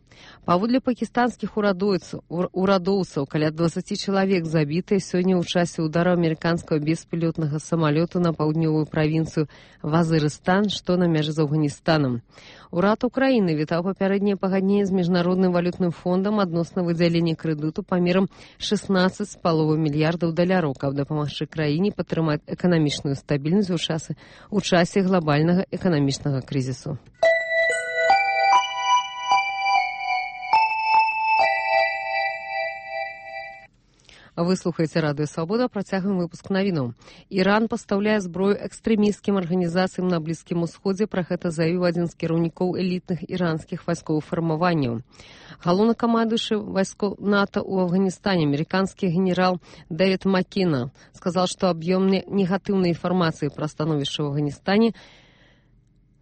Паводле пакістанскіх урадоўцаў, каля 20 чалавек забітыя сёння ў часе ўдару амерыканскага беспілотнага самалёту на паўднёвую правінцыю Вазырыстан, што на мяжы з Афганістанам. Урад Украіны вітаў папярэдняе пагадненне з Міжнародным валютным фондам адносна выдзялення крэдыту памерам 16,5 мільярдаў даляраў, каб дапамагчы краіне падтрымаць эканамічную стабільнасць у часе глобальнага эканамічнага крызісу. Вы слухаеце радыё «Свабода», працягваем выпуск навінаў. Іран пастаўляе зброю экстрэмісцкім арганізацыям на Блізкім Усходзе, пра гэта заявіў адзін з кіраўнікоў элітных іранскіх вайсковых фармаванняў. Галоўнакамандуючы вайскоў НАТО ў Афганістане, амерыканскі генерал Дэвід Маккена, сказал, што аб'ём негатыўнай інфармацыі пра становішча ў Афганістане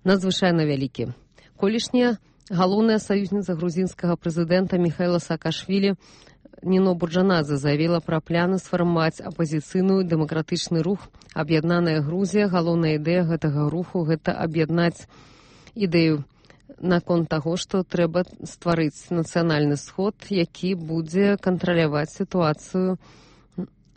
надзвычайна вялікі. Колішняя галоўная саюзніца грузінскага прэзідэнта Міхаіла Саакашвілі Ніно Бурджанадзе заявіла пра планы сфармаваць апазіцыйную дэмакратычны рух «Аб'яднаная Грузія». Галоўная ідэя гэтага руху – гэта аб'яднаць ідэю наконт таго, што трэба стварыць нацыянальны сход, які будзе кантраляваць сітуацыю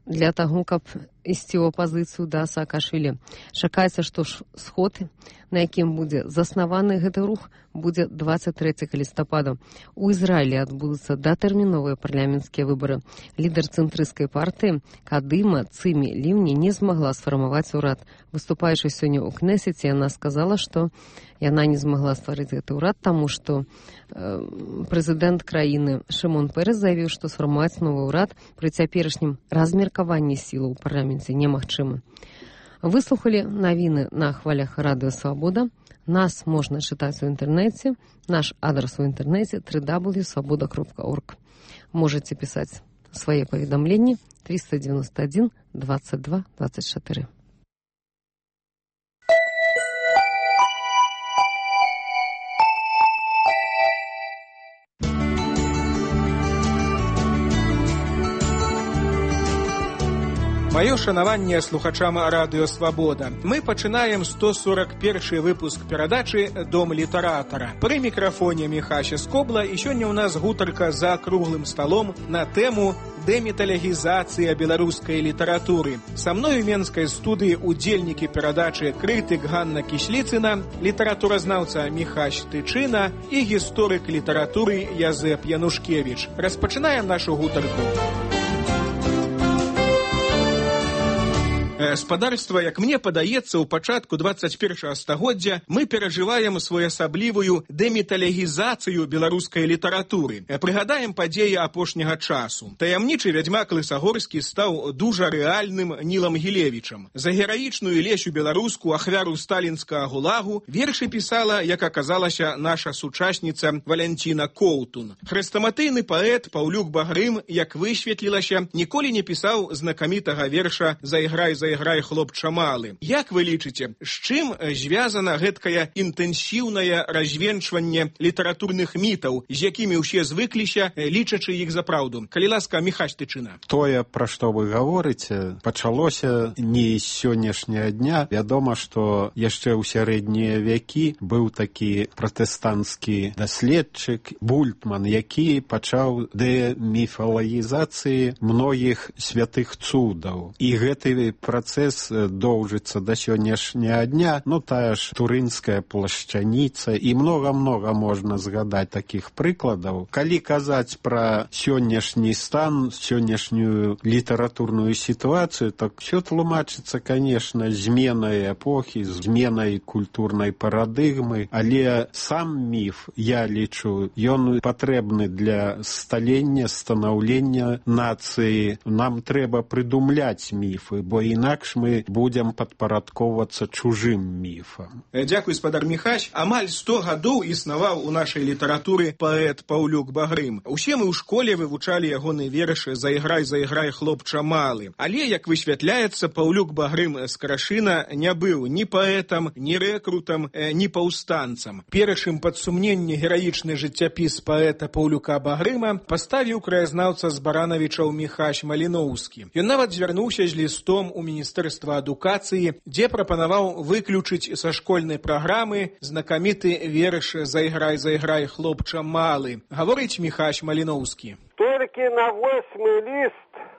для таго, каб ісці ў апазіцыю да Саакашвілі. Чакаецца, што сход, на якім будзе заснаваны гэты рух, будзе 23 лістапада. У Ізраілі адбудуцца датэрміновыя парламенцкія выбары. Лідар цэнтрысцкай партыі Кадыма Цымі Лівні не змагла сфармаваць урад. Выступаючы сёння ў Кнесеце, яна сказала, што яна не змагла стварыць гэты ўрад, таму што прэзідэнт краіны Шымон Пэрэс заявіў, што сфармаваць новы ўрад пры цяперашнім размеркаванні сілаў у парламенце немагчыма. Выслухалі навіны на хвалях радыё «Свабода». Нас можна чытаць у інтэрнэце. Наш адрас у інтэрнэце www.swaboda.org. Можаце пісаць свае паведамленні 391 22 24. Маё шанаванне слухачам радыё «Свабода». Мы пачынаем 141 выпуск перадачы «Дом літаратара». Пры мікрафоне Міхася Скобла, і сёння ў нас гутарка за круглым сталом на тэму дэміталогізацыя беларускай літаратуры. Са мной у менскай студыі удзельнікі перадачы крытык Ганна Кісліцына, літаратуразнаўца Міхась Тычына і гісторык літаратуры Язэп Янушкевіч. Распачынаем нашу гутарку. Спадарства, як мне падаецца, у пачатку 21 стагоддзя мы перажываем своеасаблівую дэміталогізацыю беларускай літаратуры. Прыгадаем падзеі апошняга часу. Таямнічы вядзьмак Лысагорскі стаў дужа рэальным Нілам Гілевічам. За гераічную Лесю беларуску, ахвяру сталінскага гулагу, вершы пісала, як аказалася, наша сучасніца Валянціна Коўтун. Хрэстаматыйны паэт Паўлюк Багрым, як высветлілася, ніколі не пісаў знакамітага верша «Зайграй за заіграй хлопча малы. Як вы лічыце, з чым звязана гэткае інтэнсіўнае развенчванне літаратурных мітаў, з якімі ўсе звыкліся, лічачы іх за праўду? Калі ласка, Міхась Тычына. Тое, пра што вы гаворыце, пачалося не з сённяшняга дня. Вядома, што яшчэ ў сярэднія векі быў такі пратэстанцкі даследчык Бультман, які пачаў дэміфалагізацыі многіх святых цудаў. І гэты працэс доўжыцца да сённяшняга дня. Ну, тая ж турынская плашчаніца і многа-многа можна згадаць такіх прыкладаў. Калі казаць пра сённяшні стан, сённяшнюю літаратурную сітуацыю, так все тлумачыцца, конечно, зменай эпохі, зменай культурнай парадыгмы, але сам міф, я лічу, ён патрэбны для сталення, станаўлення нацыі. Нам трэба прыдумляць міфы, бо інакш мы будзем падпарадковацца чужым міфам. Дзякуй, спадар Міхась. Амаль 100 гадоў існаваў у нашай літаратуры паэт Паўлюк Багрым. Усе мы ў школе вывучалі ягоны вершы «Заіграй, заіграй, хлопча малы». Але, як высвятляецца, Паўлюк Багрым з Крашына не быў ні паэтам, ні рэкрутам, ні паўстанцам. Першым пад сумненне гераічны жыццяпіс паэта Паўлюка Багрыма паставіў краязнаўца з Баранавічаў Міхась Маліноўскі. Ён нават звярнуўся з лістом у Міністэрства адукацыі, дзе прапанаваў выключыць са школьнай праграмы знакаміты верш «Заіграй, заіграй, хлопча малы». Гаворыць Міхась Маліноўскі. Толькі на 8-й ліст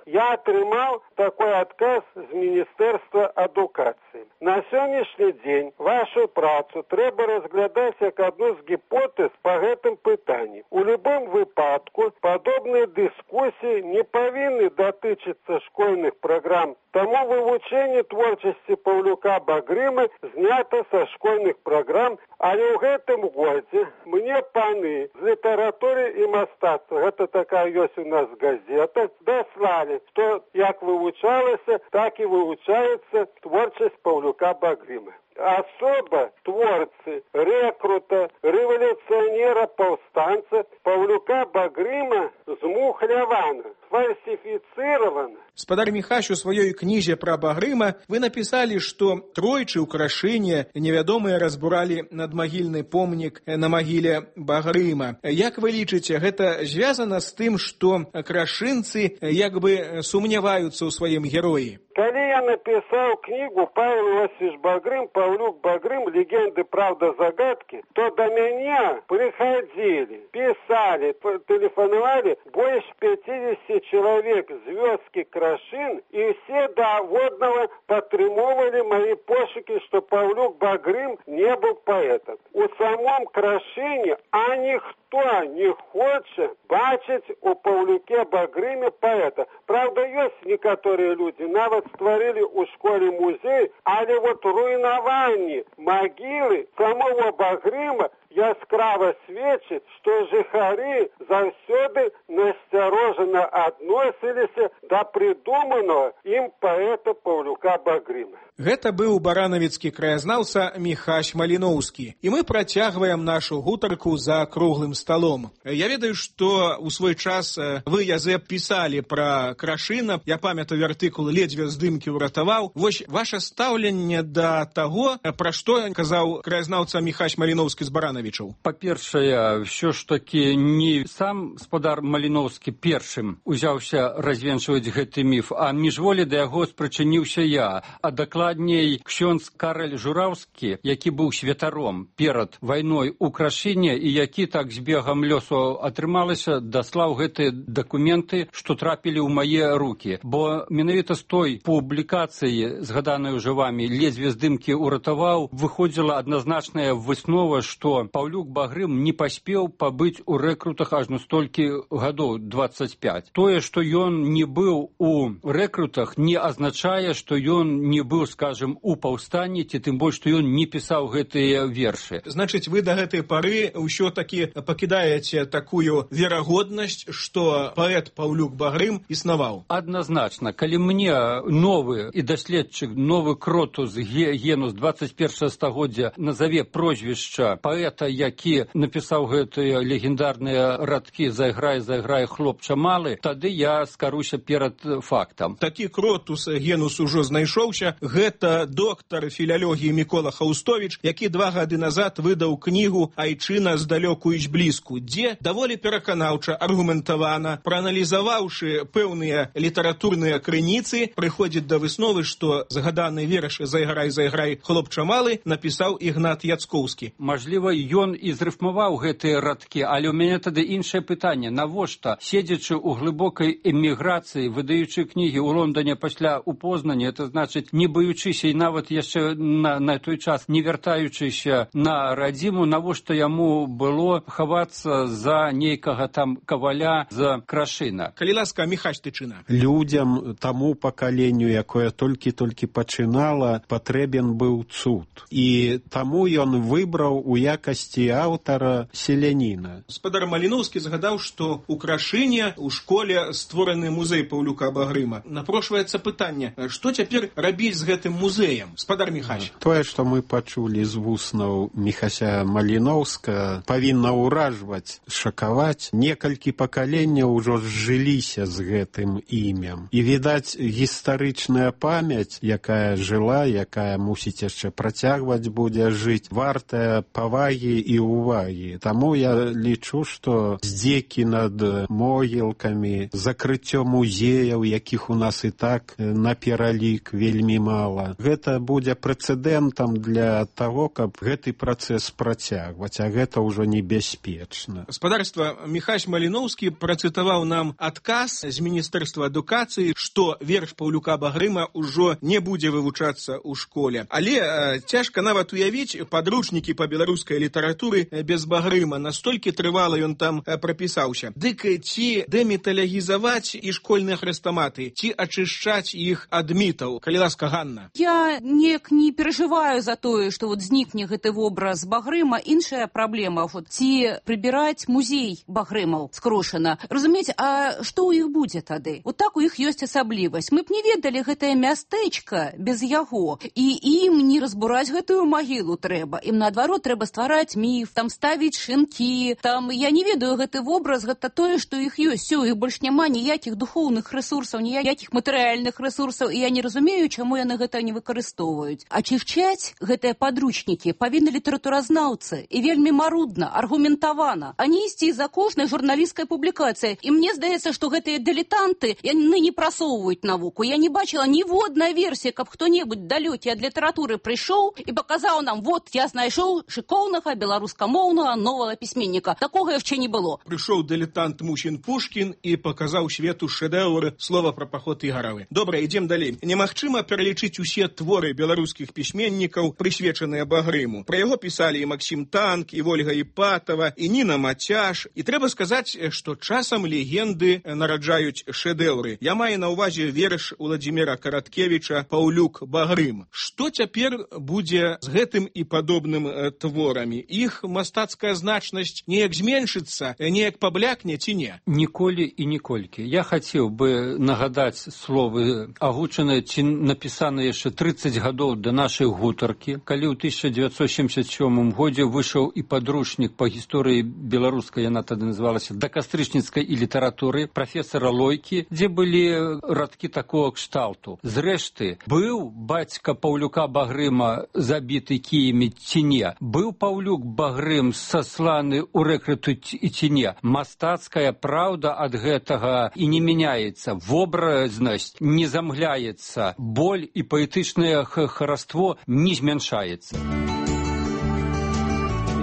я атрымаў такой адказ з Міністэрства адукацыі. На сённяшні дзень вашу працу трэба разглядаць як адну з гіпотэз па гэтым пытанні. У любым выпадку падобныя дыскусіі не павінны датычыцца школьных праграм, таму вывучэнне творчасці Паўлюка Багрыма знята са школьных праграм, але ў гэтым годзе мне паны з літаратуры і мастацтва, гэта такая ёсць у нас газета, даслалі, што як вывучалася, так і вывучаецца творчасць Паўлюка Багрыма. Особа творцы, рэкрута, рэвалюцыянера, паўстанца Паўлюка Багрыма змухлявана, фальсіфіцыравана. Спадар Міхась, у сваёй кнізе пра Багрыма вы напісалі, што тройчы ў Крашыне невядомыя разбуралі надмагільны помнік на магіле Багрыма. Як вы лічыце, гэта звязана з тым, што крашынцы як бы сумняваюцца ў сваім героі? Калі я напісаў кнігу «Павел Васильевич Багрым, Паўлюк Багрым. Легенды, правда, загадки», то до меня приходили, писали, телефоновали больше 50 человек з вёскі Крашын, и все до водного падтрымоўвалі мои пошуки, что Паўлюк Багрым не был поэтом. У самом Крашыне, а никто не хочет бачыць у Паўлюке Багрыме поэта. Правда, есть некоторые люди, нават створили у школе музей, але вот руйнаванне магілы самого Багрыма яскрава сведчыць, што жыхары заўсёды насцярожана адносіліся да прыдуманага ім паэта Паўлюка Багрыма. Гэта быў баранавіцкі краязнаўца Міхась Маліноўскі. І мы працягваем нашу гутарку за круглым сталом. Я ведаю, што ў свой час вы, Язэп, пісалі пра Крашына. Я памятаю артыкул «Ледзьве здымкі ўратаваў». Вось ваше стаўленне да таго, пра што казаў краязнаўца Міхась Маліноўскі з Баранавічаў. Па-першае, ўсё ж такі не сам спадар Маліноўскі першым узяўся развенчваць гэты міф, а міжволі да яго спрычыніўся я, а дакладней ксёндз Карэль Жураўскі, які быў святаром перад вайной у Крашыне і які так з бегам лёсу атрымалася, даслаў гэтыя дакументы, што трапілі ў мае рукі. Бо менавіта з той публікацыі, згаданай уже вамі, «Ледзьве здымкі ўратаваў», выходзіла адназначная выснова, што Паўлюк Багрым не паспеў пабыць у рэкрутах ажно столькі гадоў, 25. Тое, што ён не быў у рэкрутах, не азначае, што ён не быў, скажем, у паўстанні, ці тым больш, што ён не пісаў гэтыя вершы. Значыць, вы да гэтай пары ўсё-такі пакідаеце такую верагоднасць, што паэт Паўлюк Багрым існаваў? Адназначна. Калі мне новы і даследчык, новы кротус генус 21 стагоддзя назаве прозвішча паэт паэта, які напісаў гэтыя легендарныя радкі «Зайграй, зайграй, хлопча малы», тады я скаруся перад фактам. Такі кротус генус ужо знайшоўся. Гэта доктар філялогіі Мікола Хаустовіч, які 2 гады назад выдаў кнігу «Айчына здалёку іч блізку», дзе даволі пераканаўча, аргументавана, прааналізаваўшы пэўныя літаратурныя крыніцы, прыходзіць да высновы, што згаданы верш «Зайграй, зайграй, хлопча малы» напісаў Ігнат Яцкоўскі. Мажліва, ён і зрыфмаваў гэтыя радкі, але ў мяне тады іншае пытанне. Навошта, седзячы ў глыбокай эміграцыі, выдаючы кнігі ў Лондоне пасля у Познані, это значыць, не баючыся і нават яшчэ на той час не вяртаючыся на радзіму, навошта яму было хавацца за нейкага там каваля з Крашына? Калі ласка, Міхась Тычына. Людям, таму пакаленню, якое толькі-толькі пачынала, патрэбен быў цуд. І таму ён выбраў у якасці аўтара селяніна. Спадар Маліноўскі згадаў, што ў Крашыне у школе створаны музей Паўлюка Багрыма. Напрошваецца пытанне, што цяпер рабіць з гэтым музеем? Спадар Міхась. Тое, што мы пачулі з вуснаў Міхася Маліноўска, павінна ўражваць, шакаваць. Некалькі пакаленняў ужо зжыліся з гэтым імем. І, відаць, гістарычная памяць, якая жыла, якая мусіць яшчэ працягваць будзе жыць, вартая павагі і ўвагі. Таму я лічу, што здзекі над могілкамі, закрыццё музеяў, якіх у нас і так на пералік вельмі мала, гэта будзе прэцэдэнтам для таго, каб гэты працэс працягваць, а гэта ўжо небяспечна. Спадарства, Міхась Маліноўскі працытаваў нам адказ з Міністэрства адукацыі, што верш Паўлюка Багрыма ўжо не будзе вывучацца ў школе. Але цяжка нават уявіць падручнікі па беларускай літаратуры без Багрыма. Настолькі трывала ён там прапісаўся. Дык ці дэміталягізаваць і школьныя хрэстаматы, ці ачышчаць іх ад мітаў? Калі ласка, Ганна. Я неяк не перажываю за тое, што знікне гэты вобраз Багрыма. Іншая праблема, ці прыбіраць музей Багрымаў скрошана. Разумееце, а што ў іх будзе тады? Так у іх ёсць асаблівасць. Мы б не ведалі гэтае мястэчка без яго. І ім не разбураць гэтую магілу трэба. Ім, наадварот, трэба ствараць міф, там ставіць шынкі. Там, я не ведаю, гэты вобраз, гэта тое, што іх ёсць. У іх больш няма ніякіх духоўных рэсурсаў, ніякіх матэрыяльных рэсурсаў. І я не разумею, чаму яны гэта не выкарыстоўваюць. Ачышчаць гэтыя падручнікі павінны літаратуразнаўцы. І вельмі марудна, аргументавана. А не ісці за кожнай журналісцкай публікацыяй. І мне здаецца, што гэтыя дылетанты, яны не прасоўваюць навуку. Я не бачила ніводнай версіі, каб хто-небудзь далёкі ад літаратуры прыйшоў і паказаў нам, вот, я знайшоў шыкоўнага беларускамоўнага новага пісьменніка. Такога яшчэ не было. Прыйшоў дылетант Мусін Пушкін і паказаў свету шэдэўры слова пра паход Ігаравы. Добра, ідзем далей. Немагчыма пералічыць усе творы беларускіх пісьменнікаў, прысвечаныя Багрыму. Пра яго пісалі і Максім Танк, і Вольга Іпатава, і Ніна Мацяш. І трэба сказаць, што часам легенды нараджаюць шэдэўры. Я маю на ўвазе верш Уладзіміра Караткевіча «Паўлюк Багрым». Што цяпер будзе з гэтым і падобным творамі? Іх мастацкая значнасць неяк зменшыцца, неяк паблякне ці не? Ніколі і ніколькі. Я хацеў бы нагадаць словы агучаныя ці напісаныя яшчэ 30 гадоў да нашай гутаркі, калі ў 1977 годзе выйшаў і падручнік па гісторыі беларускай, яна тады называлася «Дакастрычніцкай і літаратуры» прафесара Лойкі, дзе былі радкі такого кшталту. Зрэшты, быў бацька Паўлюка Багрыма забіты кіямі ці не? Быў Паўлюк Багрым сасланы ў рэкруту ці не? Мастацкая праўда ад гэтага і не мяняецца. Вобразнасць не замгляецца. Боль і паэтычнае хараство не змяншаецца.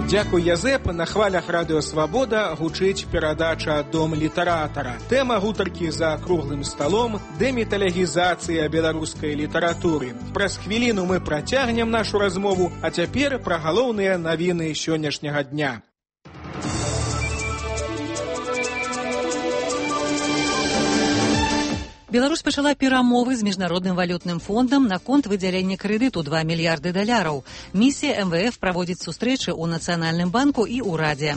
Дзякуй, Язэп. На хвалях Радыё Свабода гучыць перадача «Дом літаратара». Тэма гутаркі за круглым сталом – дэміталягізацыя беларускай літаратуры. Праз хвіліну мы працягнем нашу размову, а цяпер пра галоўныя навіны сённяшняга дня. Беларусь пачала перамовы з міжнародным валютным фондам наконт выдзялення крэдыту $2 мільярды. Місія МВФ праводзіць сустрэчы ў Нацыянальным банку і ўрадзе.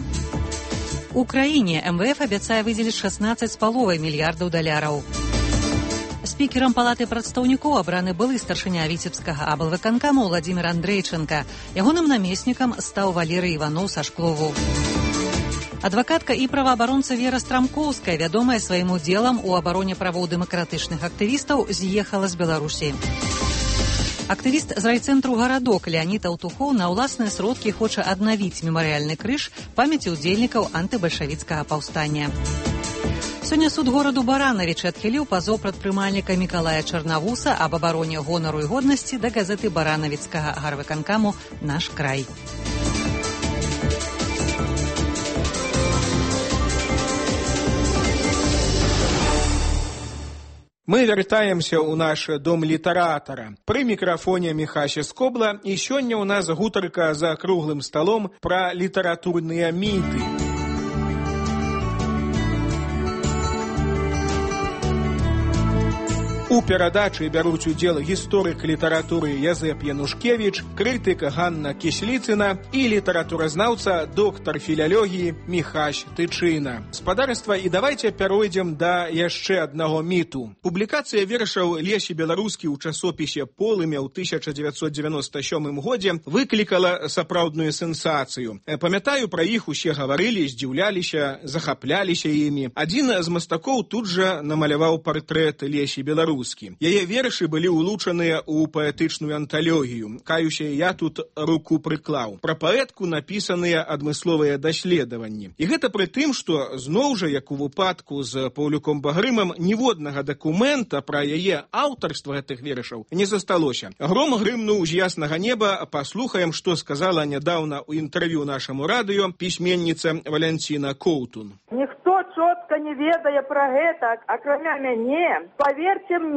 У краіне МВФ абяцае выдзеліць $16,5 мільярдаў. З Спікерам палаты прадстаўнікоў абраны былы старшыня віцебскага аблвыканкаму Владзімір Андрейченка. Ягоным намеснікам стаў Валерый Іваноў са Шклову. Адвакатка і праваабаронца Вера Страмкоўская, вядомая сваім удзелам у абароне правоў дэмакратычных актывістаў, з'ехала з Беларусі. Актывіст з райцэнтру «Гарадок» Леонід Аўтухоў на ўласныя сродкі хоча аднавіць мемарыяльны крыж памяці ўдзельнікаў антыбальшавіцкага паўстання. Сёння суд гораду Баранавіч адхіліў пазоў прадпрымальніка Мікалая Чарнавуса аб абароне гонару і годнасці да газеты баранавіцкага гарвыканкаму «Наш край». Мы вяртаемся ў наш дом літаратара. Пры мікрафоне Міхася Скобла, і сёння ў нас гутарка за круглым сталом пра літаратурныя міты. У перадачы бяруць удзел гісторык літаратуры Язэп Янушкевіч, крытык Ганна Кісліцына і літаратуразнаўца, доктар філялогіі Міхась Тычына. Спадарства, і давайце пяройдзем да яшчэ аднаго міту. Публікацыя вершаў Лесі Беларускі ў часопісе «Полымя» ў 1997 годзе выклікала сапраўдную сенсацыю. Памятаю, пра іх усе гаварылі, здзіўляліся, захапляліся імі. Адзін з мастакоў тут жа намаляваў партрэт Лесі Беларускі. Яе вершы былі улучаныя ў паэтычную анталогію. Каюся, я тут руку прыклаў. Пра паэтку напісаныя адмысловыя даследаванні. І гэта пры тым, што зноў жа, як у выпадку з Паўлюком Багрымам, ніводнага дакумента пра яе аўтарства гэтых вершаў не засталося. Гром грымнуў з яснага неба. Паслухаем, што сказала нядаўна ў інтэрв'ю нашаму радыё пісьменніца Валянціна Коўтун. Ніхто чётка не ведае пра гэта, акрамя мяне. Паверце мне.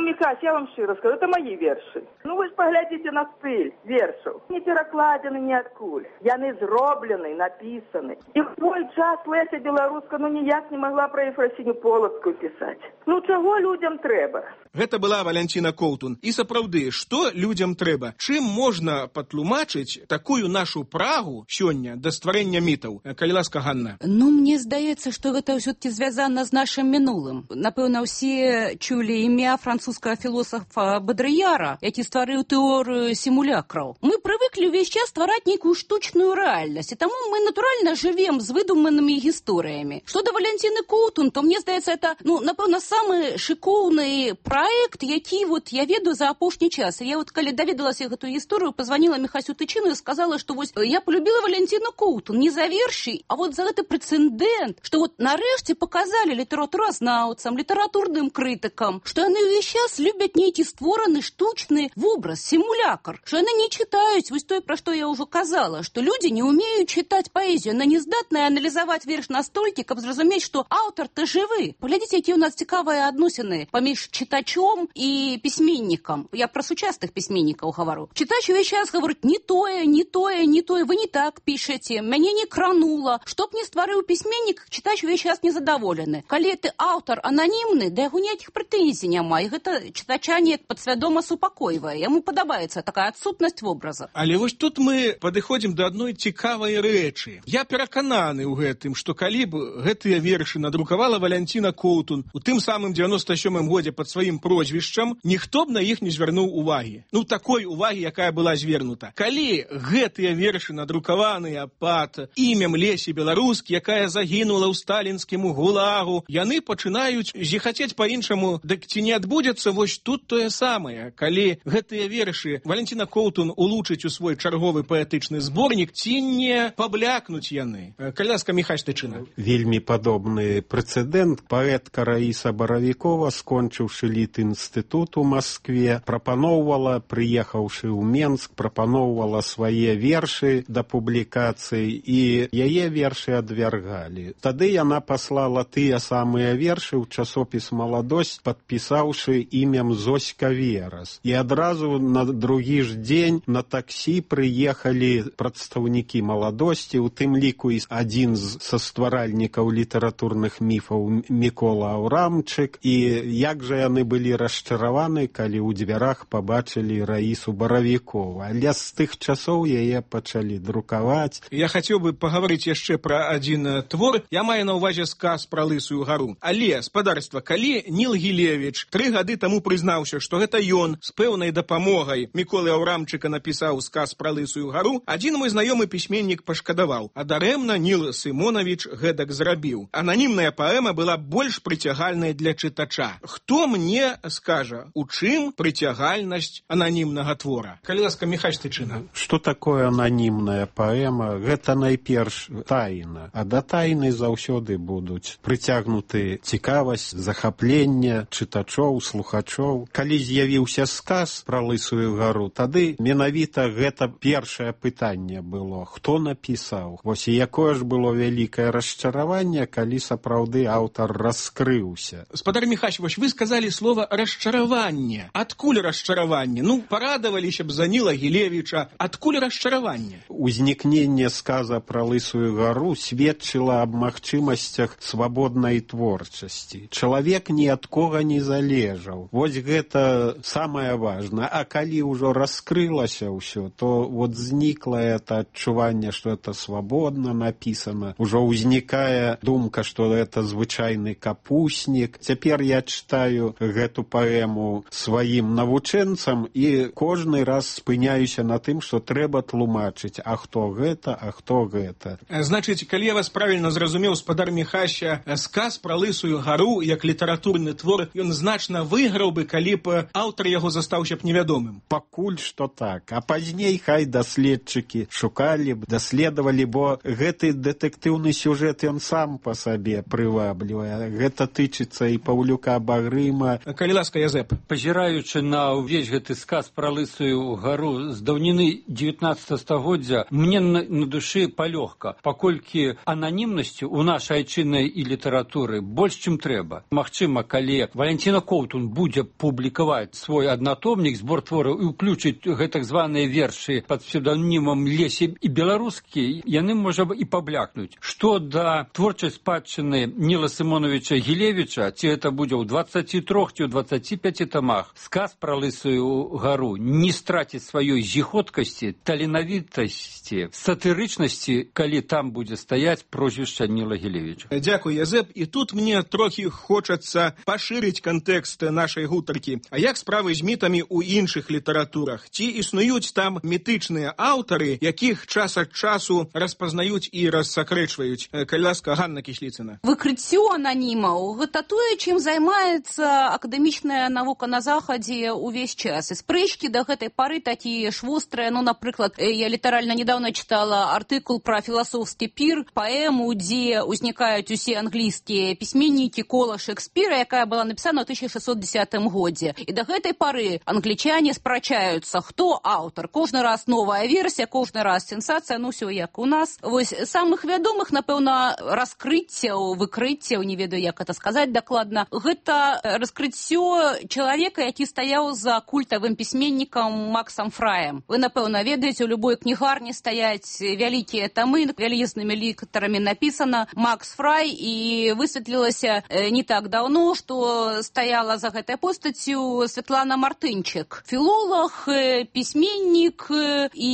Мікась, я вам шчыра скажу, это мои вершы. Вы ж паглядзіце на стыль вершаў. Не перакладзены ніадкуль. Яны зроблены, напісаны. І в той час Леся Беларуска ніяк не могла пра Ефрасіню Полацкую пісаць. Чаго людям трэба? Гэта была Валянціна Коўтун. І сапраўды, што людям трэба? Чым можна патлумачыць такую нашу прагу сёння да стварэння мітаў? Калі ласка, Ганна. Мне здаецца, што гэта ўсё-таки звязана з нашым мінулым. Напэўна, усе чулі імя французскага філосафа Бодрыяра, які стварыў тэорыю сімулякраў. Мы прывыклі ўвесь час ствараць нейкую штучную рэальнасць, і таму мы натуральна жывем з выдуманымі гісторыямі. Што да Валянціны Коўтун, то мне здаецца, это, напэўна, самы шыкоўны праект, які я ведаю за апошні час. Я калі даведалася гэтую гісторыю, пазваніла Міхасю Тычыну і сказала, што я полюбіла Валянціну Коўтун не за вершы, а за гэты прэцэдэнт, што нарэшце паказалі літаратуразнаўцам, літаратурным крытыкам, што яны ўвесь час любяць нейкі створаны штучны вобраз, сімулякр, што яны не чытаюць тое, пра што я ўжо казала, што людзі не ўмеюць чытаць паэзію, яны не здатныя аналізаваць верш настолькі, каб зразумець, што аўтар-то жывы. Паглядзіце, якія ў нас цікавыя адносіны паміж чытачом і пісьменнікам. Я пра сучасных пісьменнікаў гавару. Чытач увесь час гаворыць не тое, вы не так пішаце, мяне не кранула. Што б не стварыў пісьменнік, чытач увесь час незадаволены. Калі ты аўтар ананімны, да яго ніякіх прэтэнзій няма, і гэта чытача неяк падсвядома супакойвае. Яму падабаецца такая адсутнасць вобраза. Але тут мы падыходзім да адной цікавай рэчы. Я перакананы ў гэтым, што калі б гэтыя вершы надрукавала Валянціна Коўтун у тым самым 97-м годзе пад сваім прозвішчам, ніхто б на іх не звярнуў увагі. Такой увагі, якая была звернута. Калі гэтыя вершы надрукаваныя пад імем Лесі Беларускі, якая загінула ў сталінскім гулагу, яны пачынаюць зіхацець па-іншаму. Дык ці не адбудзецца тут тое самае? Калі гэтыя вершы Валянціна Коўтун улучыць у свой чарговы паэтычны зборнік, ці не паблякнуць яны? Калі ласка, Міхась Тычына. Вельмі падобны прэцэдэнт. Паэтка Раіса Баравікова, скончыўшы літінстытут у Маскве, прапаноўвала, прыехаўшы ў Менск, прапаноўвала свае вершы да публікацыі, і яе вершы адвяргалі. Тады яна паслала тыя самыя вершы ў часопіс «Маладосць», падпісаўшы імем Зоська Верас. І адразу на другі ж дзень на таксі прыехалі прадстаўнікі «Маладосці», у тым ліку і адзін са стваральнікаў літаратурных міфаў Мікола Аўрамчык. І як жа яны былі расчараваны, калі ў дзвярах пабачылі Раісу Баравікову. Але з тых часоў яе пачалі друкаваць. Я хацеў бы пагаварыць яшчэ пра адзін твор. Я маю на ўвазе сказ пра Лысую гару. Але, спадарства, калі Ніл Гілевіч 3 3 гады таму прызнаўся, што гэта ён з пэўнай дапамогай Міколы Аўрамчыка напісаў сказ пра Лысую гару. Адзін мой знаёмы пісьменнік пашкадаваў, а дарэмна Ніл Сымонавіч гэтак зрабіў. Ананімная паэма была больш прыцягальнай для чытача. Хто мне скажа, у чым прыцягальнасць ананімнага твора? Калі ласка, Міхась Тычына. Што такое ананімная паэма? Гэта найперш тайна. А да тайны заўсёды будуць прыцягнуты цікавасць, захапленне чытачоў, слухачоў. Калі з'явіўся сказ пра Лысую гару, тады менавіта гэта першае пытанне было. Хто напісаў? Вось і якое ж было вялікае расчараванне, калі сапраўды аўтар раскрыўся. Спадар Міхась, вось вы сказалі слова расчараванне. Адкуль расчараванне? Ну, парадаваліся б за Ніла Гілевіча. Адкуль расчараванне? Узнікненне сказа пра Лысую гару сведчыла аб магчымасцях свабоднай творчасці. Чалавек ні ад кога не залежаў. Вось гэта самае важнае. А калі ўжо раскрылася ўсё, то вот знікла это адчуванне, што это свабодна напісана. Ужо ўзнікае думка, што это звычайны капуснік. Цяпер я чытаю гэту паэму сваім навучэнцам і кожны раз спыняюся на тым, што трэба тлумачыць, а хто гэта, а хто гэта. Значыць, калі я вас правільна зразумеў, спадар Міхася, сказ пра Лысую гару як літаратурны твор, ён значна выйграў бы, калі б аўтар яго застаўся б невядомым. Пакуль што так. А пазней хай даследчыкі шукалі б, даследавалі, бо гэты дэтэктыўны сюжэт ён сам па сабе прываблівае. Гэта тычыцца і Паўлюка Багрыма. Калі ласка, Язэп. Пазіраючы на ўвесь гэты сказ пра Лысую гару з даўніны 19 стагоддзя, мне на душы палёгка, паколькі ананімнасці ў нашай айчыннай і літаратуры больш, чым трэба. Магчыма, калі Валянціна Коўтун будзе публікаваць свой аднатомнік, збор твораў і ўключыць гэтак званыя вершы пад псевданімам Лесі і беларускі, яны, можа, і паблякнуць. Што да творчай спадчыны Ніла Сымоновича Гілевіча, ці гэта будзе ў 23 ці ў 25 тамах, сказ пра Лысую гару не страціць сваёй зіходкасці, таленавітасці, сатырычнасці, калі там будзе стаяць прозвішча Ніла Гілевіча. Дзякуй, Язэп. І тут мне трохі хочацца пашырыць кантэкст нашай гутаркі. А як справы з мітамі ў іншых літаратурах? Ці існуюць там мітычныя аўтары, якіх час ад часу распазнаюць і рассакрэчваюць? Калі ласка, Ганна Кісліцына. Выкрыццё ананімаў – гэта тое, чым займаецца акадэмічная навука на Захадзе ўвесь час. І спрэчкі да гэтай пары такія ж вострыя. Ну, напрыклад, я літаральна недавно чытала артыкул пра філасофскі пір, паэму, дзе ўзнікаюць усе англійскія пісьменнікі кола Шекспіра, якая была напісана ў 1610 годзе. І да гэтай пары англічане спрачаюцца, хто аўтар. Кожны раз новая версія, кожны раз сенсацыя, ну ўсё як у нас. Вось самых вядомых, напэўна, раскрыццяў, выкрыццяў, не ведаю, як это сказаць дакладна, гэта раскрыццё чалавека, які стаяў за культавым пісьменнікам Максам Фраем. Вы, напэўна, ведаеце, у любой кнігарні стаяць вялікія тамы, вялізнымі літарамі напісана Макс Фрай, і высветлілася не так даўно, што стаяла за гэтай постаццю Святлана Мартынчык. Філолог, пісьменнік і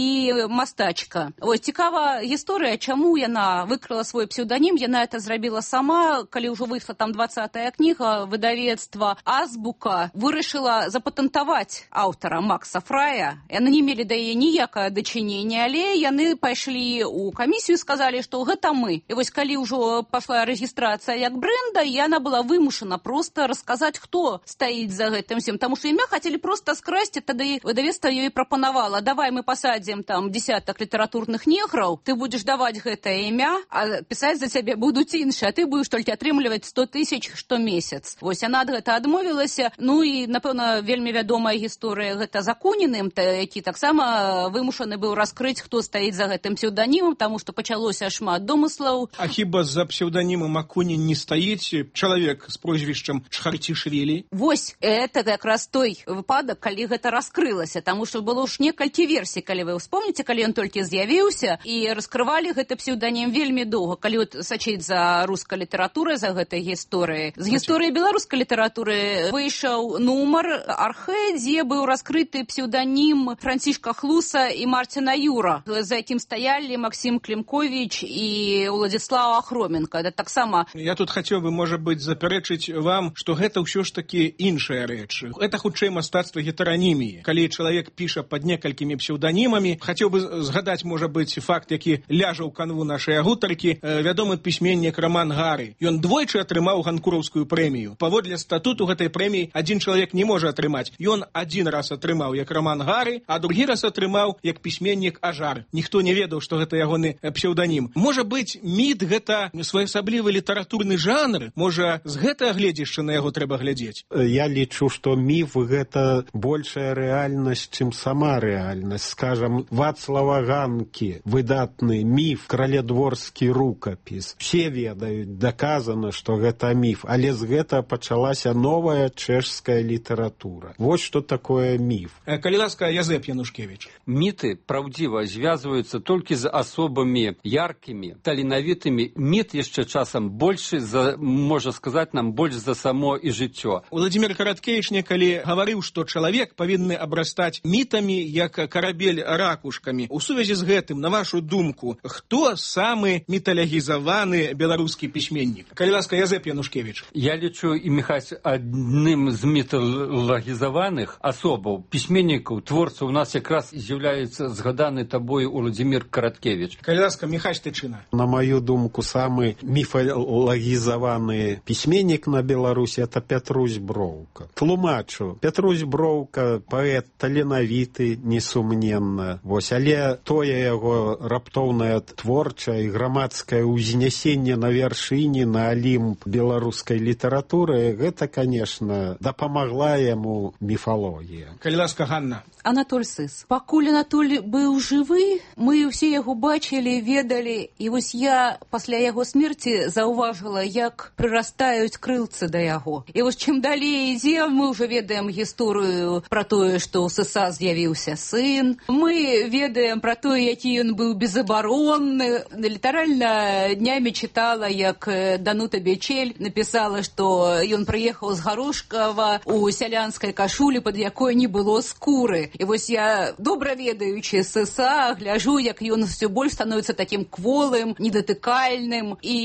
мастачка. Вось цікава гісторыя, чаму яна выкрыла свой псеўданім. Яна это зрабіла сама, калі ўжо выйшла там 20-я кніга, выдавецтва Азбука вырашыла запатэнтаваць аўтара Макса Фрая. Яны не мелі да яе ніякае дачынення, але яны пайшлі ў камісію і сказалі, што гэта мы. І вось калі ўжо пашла рэгістрацыя як бренда, яна была вымушана проста расказаць, хто стаіць за гэтым всем. Таму што імя хацелі проста скрасці, тады выдавецтва ёй прапанавала: давай мы пасадзім там десятак літаратурных неграў, ты будзеш даваць гэтае імя, а пісаць за цябе будуць іншыя, а ты будзеш толькі атрымліваць 100 000 штомесяц. Вось яна ад гэта адмовілася. Ну і, напэўна, вельмі вядомая гісторыя гэта з Акуніным, які таксама вымушаны быў раскрыць, хто стаіць за гэтым псеўданімам, таму што пачалося шмат домыслаў. А хіба за псеўданімам Акунін не стаіць чалавек з прозвішчам Чхарцішвілі? Вось, это якраз той выпадак, калі гэта раскрылася, таму што было ж некалькі версій, калі вы вспомніце, калі ён толькі з'явіўся, і раскрывалі гэты псеўданім вельмі доўга. Калі от сачыць за рускай літаратурай, за гэтай гісторыяй, з гісторыі беларускай літаратуры выйшаў нумар Архэ, дзе быў раскрыты псеўданім Францішка Хлуса і Марціна Юра, за якім стаялі Максім Клімковіч і Уладзіслаў Ахроменка. Это таксама... Я тут хацеў бы, можа быць, запярэчыць вам, што гэта ўсё ж ж таки іншая рэч. Это хутчэй мастацтва гетераніміі. Калі чалавек піша пад некалькімі псеўданімамі, хацеў бы згадаць, можа быць, факт, які ляжа ў канву нашай гутаркі, вядомы пісьменнік Роман Гары. Ён двойчы атрымаў ганкураўскую прэмію. Паводле статуту гэтай прэміі адзін чалавек не можа атрымаць. Ён адзін раз атрымаў як Роман Гары, а другі раз атрымаў як пісьменнік Ажар. Ніхто не ведаў, што гэта ягоны псеўданім. Можа быць, міт гэта своеасаблівы літаратурны жанр? Можа, з гэтага гледзяшча на яго трэба глядзець? Я лічу, што міф гэта большая рэальнасць, чым сама рэальнасць. Скажам, Вацлава Ганкі, выдатны міф, кралядворскі рукапіс. Все ведаюць, даказана, што гэта міф, але з гэта пачалася новая чэшская літаратура. Вось што такое міф. Калі ласка, Язэп Янушкевіч. Міты, праўдзіва, звязваюцца толькі з асобамі яркімі, таленавітымі. Міт яшчэ часам большы, можа сказаць нам, больш за само і жыццё. Владимир Караткевич некалі гаварыў, што чалавек павінны абрастаць мітамі, як карабель ракушкамі. У сувязі з гэтым, на вашу думку, хто самы міталагізаваны беларускі пісьменнік? Калі ласка, Язэп Янушкевіч. Я лічу і Міхась адным з міталагізаваных асобаў, пісьменнікаў, творцаў у нас якраз з'яўляецца згаданы табою Владимир Караткевич. Калі ласка, Міхась Тычына. На маю думку, самы міфалагізаваны пісьменнік на Беларусі это Пятрусь Броўка. Тлумачу, Пятрусь Броўка паэт таленавіты, несумненна. Вось, але тое яго раптоўнае творчае і грамадскае ўзнясенне на вяршыні, на алімп беларускай літаратуры, гэта, конечно, дапамагла яму міфалогія. Калі ласка, Ганна. Анатоль Сыс. Пакуль Анатоль быў жывы, мы ўсе яго бачылі, ведалі, і вось я пасля яго смерці заўважыла, як прырастаюць крылцы да яго. І вось чым далей ідзем, мы ўжо ведаем гісторыю пра тое, што ў Сыса з'явіўся сын. Мы ведаем пра тое, які ён быў безабаронны. Літаральна днямі чытала, як Данута Бечель напісала, што ён прыехаў з Гарошкава у сялянскай кашулі, пад якой не было скуры. І вось я, добра ведаючы Сыса, гляжу, як ён все больш становіцца такім кволым, недатыкальным, і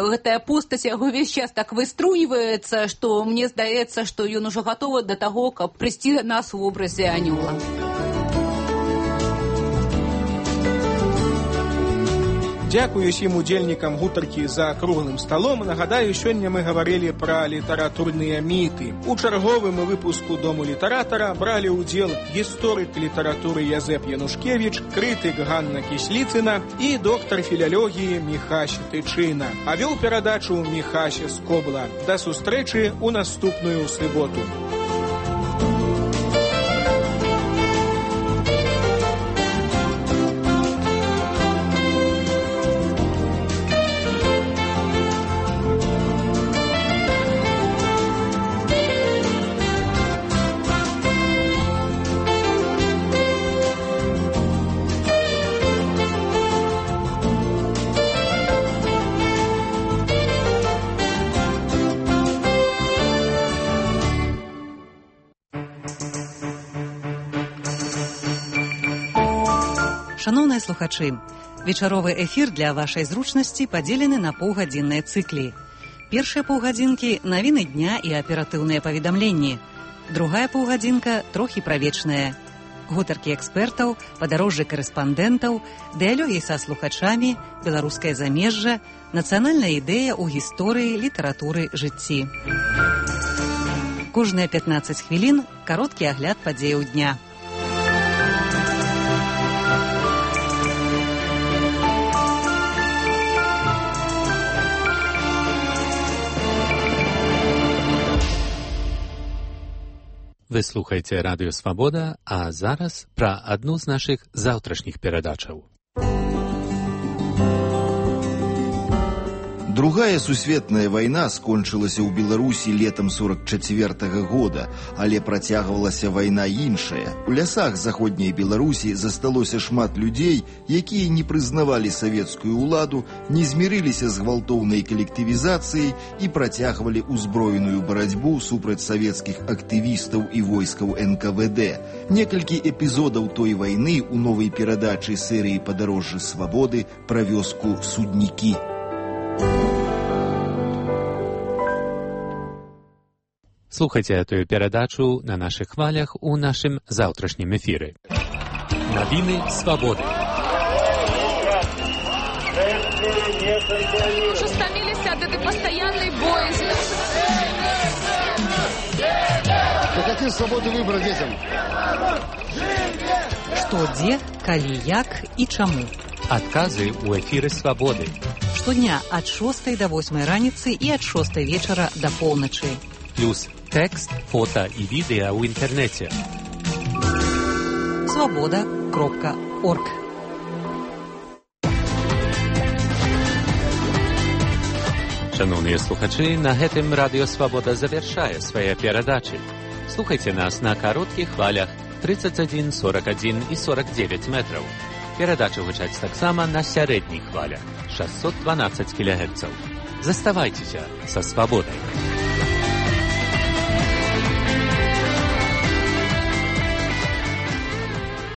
гэтая постаць яго весь час так выструйваецца, што мне здаецца, што ён ужо гатовы да таго, каб прыйсці да нас у вобразе анёла. Дзякую усім удзельнікам гутаркі за круглым сталом. Нагадаю, сёння мы гаварылі пра літаратурныя міты. У чарговым выпуску Дому літаратара бралі ўдзел гісторык літаратуры Язэп Янушкевіч, крытык Ганна Кісліцына і доктар філялогіі Міхась Тычына. А вёў перадачу Міхась Скобла. Да сустрэчы ў наступную суботу. Шановныя слухачы, вечаровы эфір для вашай зручнасці падзелены на паўгадзінныя цыклі. Першыя паўгадзінкі – навіны дня і аператыўныя паведамленні. Другая паўгадзінка – трохі пра вечнае. Гутаркі экспертаў, падарожжы карэспандэнтаў, дыялогі са слухачамі, беларускае замежжа, нацыянальная ідэя ў гісторыі, літаратуры, жыцці. Кожныя 15 хвілін – кароткі агляд падзеяў дня. Вы слухаеце Радыё Свабода, а зараз пра адну з нашых заўтрашніх перадачаў. Другая сусветная вайна скончылася ў Беларусі летам 44-го года, але працягвалася вайна іншая. У лясах заходняй Беларусі засталося шмат людзей, якія не прызнавалі савецкую ўладу, не змірыліся з гвалтоўнай калектывізацыяй і працягвалі ўзброеную барацьбу супраць савецкіх актывістаў і войскаў НКВД. Некалькі эпізодаў той вайны ў новай перадачы серыі «Падарожжы свабоды» пра вёску Суднікі. Слухайте эту передачу на наших хвалях у нашем завтрашнем эфире. Новины свободы. Уже стомились от этой постоянной боязни. Какие свободы выбора детям? Што, дзе, калі, як і чаму. Адказы ў эфіры свабоды. Штодня ад 6 до 8 раніцы і ад 6 вечара до поўначы. Плюс тэкст, фота і відэа ў інтэрнэце. Свобода.орг. Шановныя слухачы, на гэтым радыё Свабода завяршае свае перадачы. Слухайце нас на кароткіх хвалях 31, 41 і 49 метраў. Перадачы гучаць таксама на сярэдніх хвалях 612 кГц. Заставайцеся са свабодай.